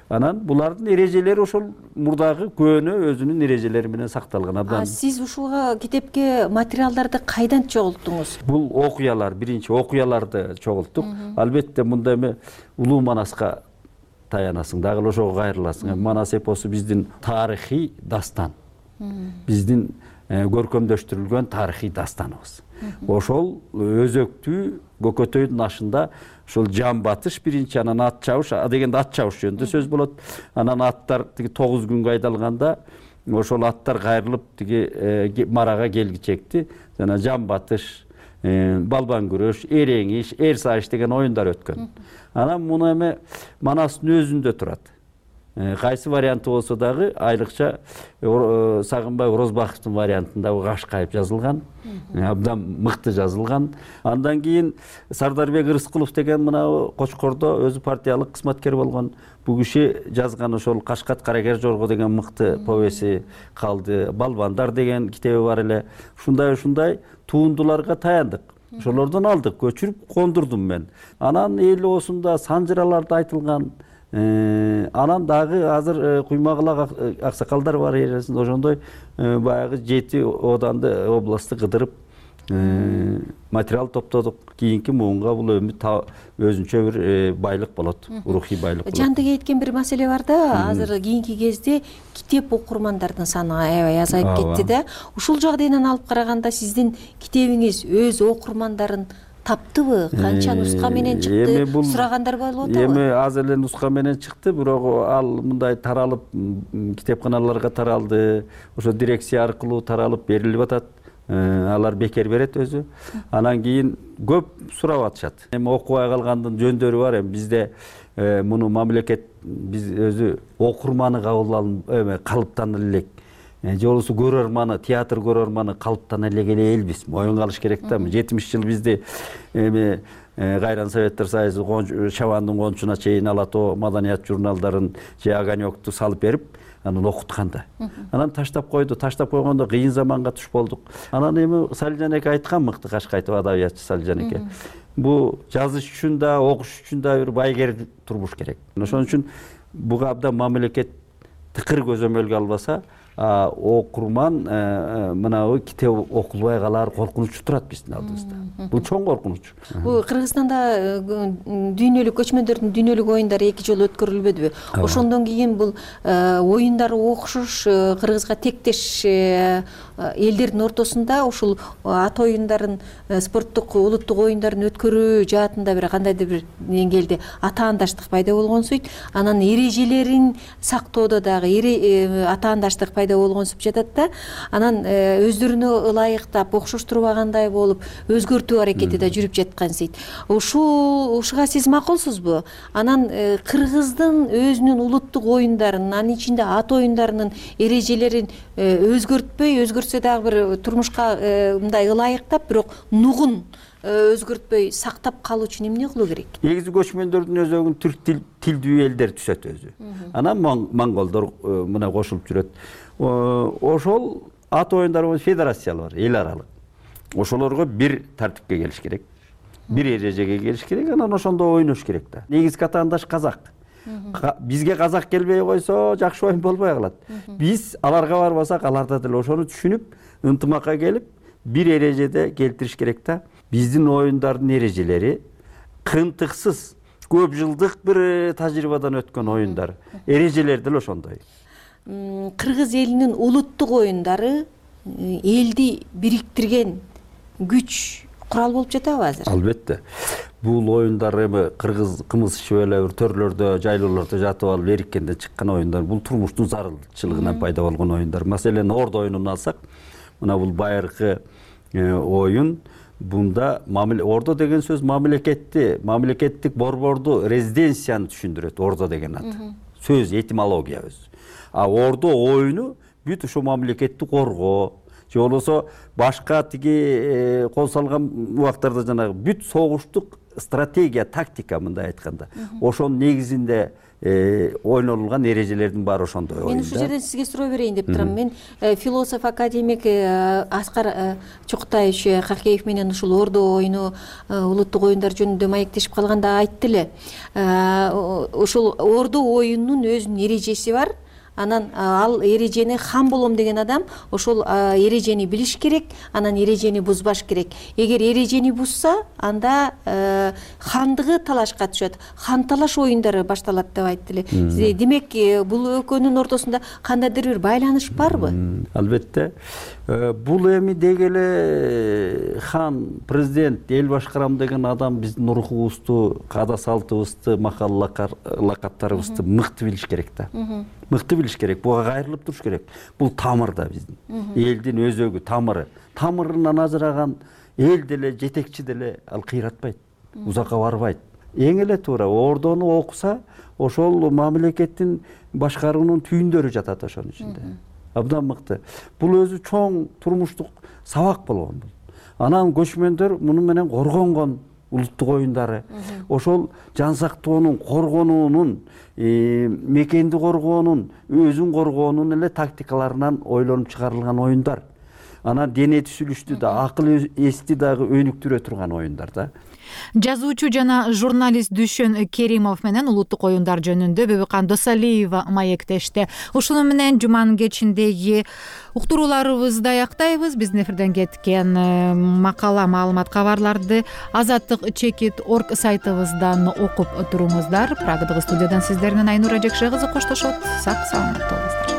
Анан булардын эрежелери ошол мурдагы көөнө өзүнүн эрежелери менен сакталган. Абдан. Сиз ушуга китепке материалдарды кайдан чогулттуңуз? Бул окуялар, биринчи окуяларды чогулттук. Албетте мында эми Улуу Манаска таянасың, дагы ошого кайрыласың. Манас эпосу биздин тарыхый дастан. Биздин көркөмдөштүрүлгөн тарыхый дастаныбыз. Ошол өзөктүү Көкөтөйдүн ашында ошол жан батыш биринчи, анан ат чабыш, а дегенде ат чабыш жөнүндө сөз болот. Анан аттар тиги тогуз күнгө айдалганда ошол аттар кайрылып тиги марага келгичекти. Жана жан батыш, балбан күрөш, эреңиш, эр сайыш деген оюндар өткөн. Анан муну эми Манастын өзүндө турат. Кайсы варианты болсо дагы айрыкча Сагынбай Орозбаковдун вариантында Кашкайып жазылган, абдан мыкты жазылган. Андан кийин Сардарбек Рыскулов деген мына Кочкордо өзү партиялык кызматкер болгон. Бул киши жазган ошол Кашкат Каракер Жорго деген мыкты повеси калды. Балбандар деген китеби бар эле. Ушундай-ушундай туындуларга таяндык. Ошолордон алдык, көчүрүп кондурдум мен. Анан эл оосунда санжыраларда айтылган. Анан дагы азыр Куймагылак аксакалдар бар эресинде, ошондой баягы жети оданды областты кыдырып материал топтодук. Кийинки муунга бул өмүт өзүнчө бир байлык болот, рухий байлык болот. Жандык айткан бир маселе бар да, азыр кийинки кезде китеп окурмандардын саны аябай азайып кетти да. Ушул жагдайдан алып караганда сиздин китебиңиз өз окурмандарын таптыбы? Канча нуска менен чыкты? Сурагандар болуп атабы? Эми аз эле нуска менен чыкты, бирок ал мындай таралып китепканаларга таралды. Ошо дирекция аркылуу таралып берилип атат. Алар бекер берет өзү. Анан кийин көп сурап атышат. Эми окубай калгандын жөндөрү бар. Эми бизде муну мамлекет биз өзү окурманы кабыл алып, эме калыптанып элек. Же болбосо көрөрманы, театр көрөрманы калыптана элек элбиз. Моюнга алыш керек да. жетимиш жыл бизди эми Кайран Советтер Союзу Шабандын кончуна чейин Алато маданият журналдарын же Огонёкту салып берип, анан окутканда. Анан таштап койду, таштап койгондо кыйын заманга туш болдук. Анан эми Салижан эке айткан мыкты Кашкайтып адабиятчы Салижан эке. Бу жазыш үчүн да, окуш үчүн да бир байгер турмуш керек. Ошон үчүн буга абдан мамлекет тыкыр көзөмөлгө албаса, окурман мынабу китеп окулбай калар коркунучу турат биздин алдыбызда. Бул чоң коркунуч. Бул Кыргызстанда дүйнөлүк көчмөндөрдүн дүйнөлүк оюндары эки жолу өткөрүлбөдүбү? Ошондон кийин бул оюндар окшош Кыргызга тектеш элдердин ортосунда ушул ат оюндарын, спорттук улуттук оюндарын өткөрүү жаатында бир кандайдыр бир деңгээлде атаандаштык пайда болгонсуйт. Анан эрежелерин сактоодо дагы атаандаштык пайда болгонсуп жатат да. Анан өздөрүнө ылайыктап, окшоштурбагандай болуп, өзгөртүү аракети да жүрүп жаткансыйт. Ушул ушуга сиз макулсузбу? Анан Кыргыздын өзүнүн улуттук оюндарын, анын ичинде ат оюндарынын эрежелерин өзгөртпөй, өзгөртсө дагы бир турмушка мындай ылайыктап, бирок нугун өзгөртпөй сактап калуу үчүн эмне кылуу керек? Негизи көчмөндөрдүн өзөгүн түрк тилдүү элдер түзөт өзү. Анан монголдор мына кошулуп жүрөт. Ошол ат оюндары федерациялар бар, эл аралык. Ошолорго бир тартипке келиш керек. Бир эрежеге келиш керек, анан ошондо ойнош керек да. Негизги атаандаш казак. Бизге казак келбей койсо жакшы оюн болбой калат. Биз аларга барбасак, аларда деле ошону түшүнүп, ынтымакка келип, бир эрежеде келтириш керек да. Биздин оюндардын эрежелери кынтыксыз, көп жылдык бир тажрыйбадан өткөн оюндар. Эрежелер деле ошондой. Кыргыз элинин улуттук оюндары элди бириктирген күч, курал болуп жатабы азыр? Албетте. Бул оюндар эми кыргыз кымыз ичип эле бир төрлөрдө, жайлоолордо жатып алып эриккенде чыккан оюндар. Бул турмуштун зарылчылыгынан пайда болгон оюндар. Маселен, Ордо оюнун алсак, мына бул байыркы оюн. Бунда Ордо деген сөз мамлекетти, мамлекеттик борборду, резиденцияны түшүндүрөт. Ордо деген ат. Сөз, этимология өзү. А Ордо оюну бүт ошо мамлекетти коргоо, же болбосо башка тиги кол салган убактарда жанагы бүт согуштук стратегия, тактика мындай айтканда. Ошонун негизинде ойнолулган эрежелердин баары ошондой оюн. Мен ушул жерден сизге суроо берейин деп турам. Мен философ академик Аскар Чокутаевич Какеев менен ушул ордо оюну, улуттук оюндар жөнүндө маектешип калганда айтты эле. Ушул ордо оюнунун өзүнүн эрежеси бар. Анан ал эрежени хан болом деген адам ошол эрежени билиш керек, анан эрежени бузбаш керек. Эгер эрежени бузса, анда хандыгы талашка түшөт. Хан талаш оюндары башталат деп айтты эле. Демек, бул экөөнүн ортосунда кандайдыр бир байланыш барбы? Албетте. Бул эми деги эле хан, президент, эл башкарам деген адам биздин рухубузду, каада салтыбызды, макал лакаттарыбызды мыкты билиш керек да. Мыкты билиш керек, буга кайрылып туруш керек. Бул тамыр да биздин. Элдин өзөгү, тамыры. Тамырынан ажыраган эл деле, жетекчи деле ал кыйратпайт, узакка барбайт. Эң эле туура ордону окуса, ошол мамлекеттин башкаруунун түйүндөрү жатат ошонун ичинде. Абдан мыкты. Бул өзү чоң турмуштук сабак болгон. Анан көчмөндөр муну менен коргонгон улуттук оюндары. Ошол жан сактоонун, коргонуунун, мекенди коргоонун, өзүн коргоонун эле тактикаларынан ойлонуп чыгарылган оюндар. Анан дене түзүлүштү да, акыл эсти дагы өнүктүрө турган оюндар да. Жазуучу жана журналист Дүшөн Керимов менен улуттук оюндар жөнүндө Бөбүкан Досалиева маектешти. Ушуну менен жуманын кечиндеги уктурууларыбызды аяктайбыз. Биздин эфирден кеткен макала, маалымат, кабарларды азаттык чекит точка орг сайтыбыздан окуп туруңуздар. Прагадагы студиядан сиздер менен Айнура Жекше кызы коштошот. Сак саламатта болуңуздар.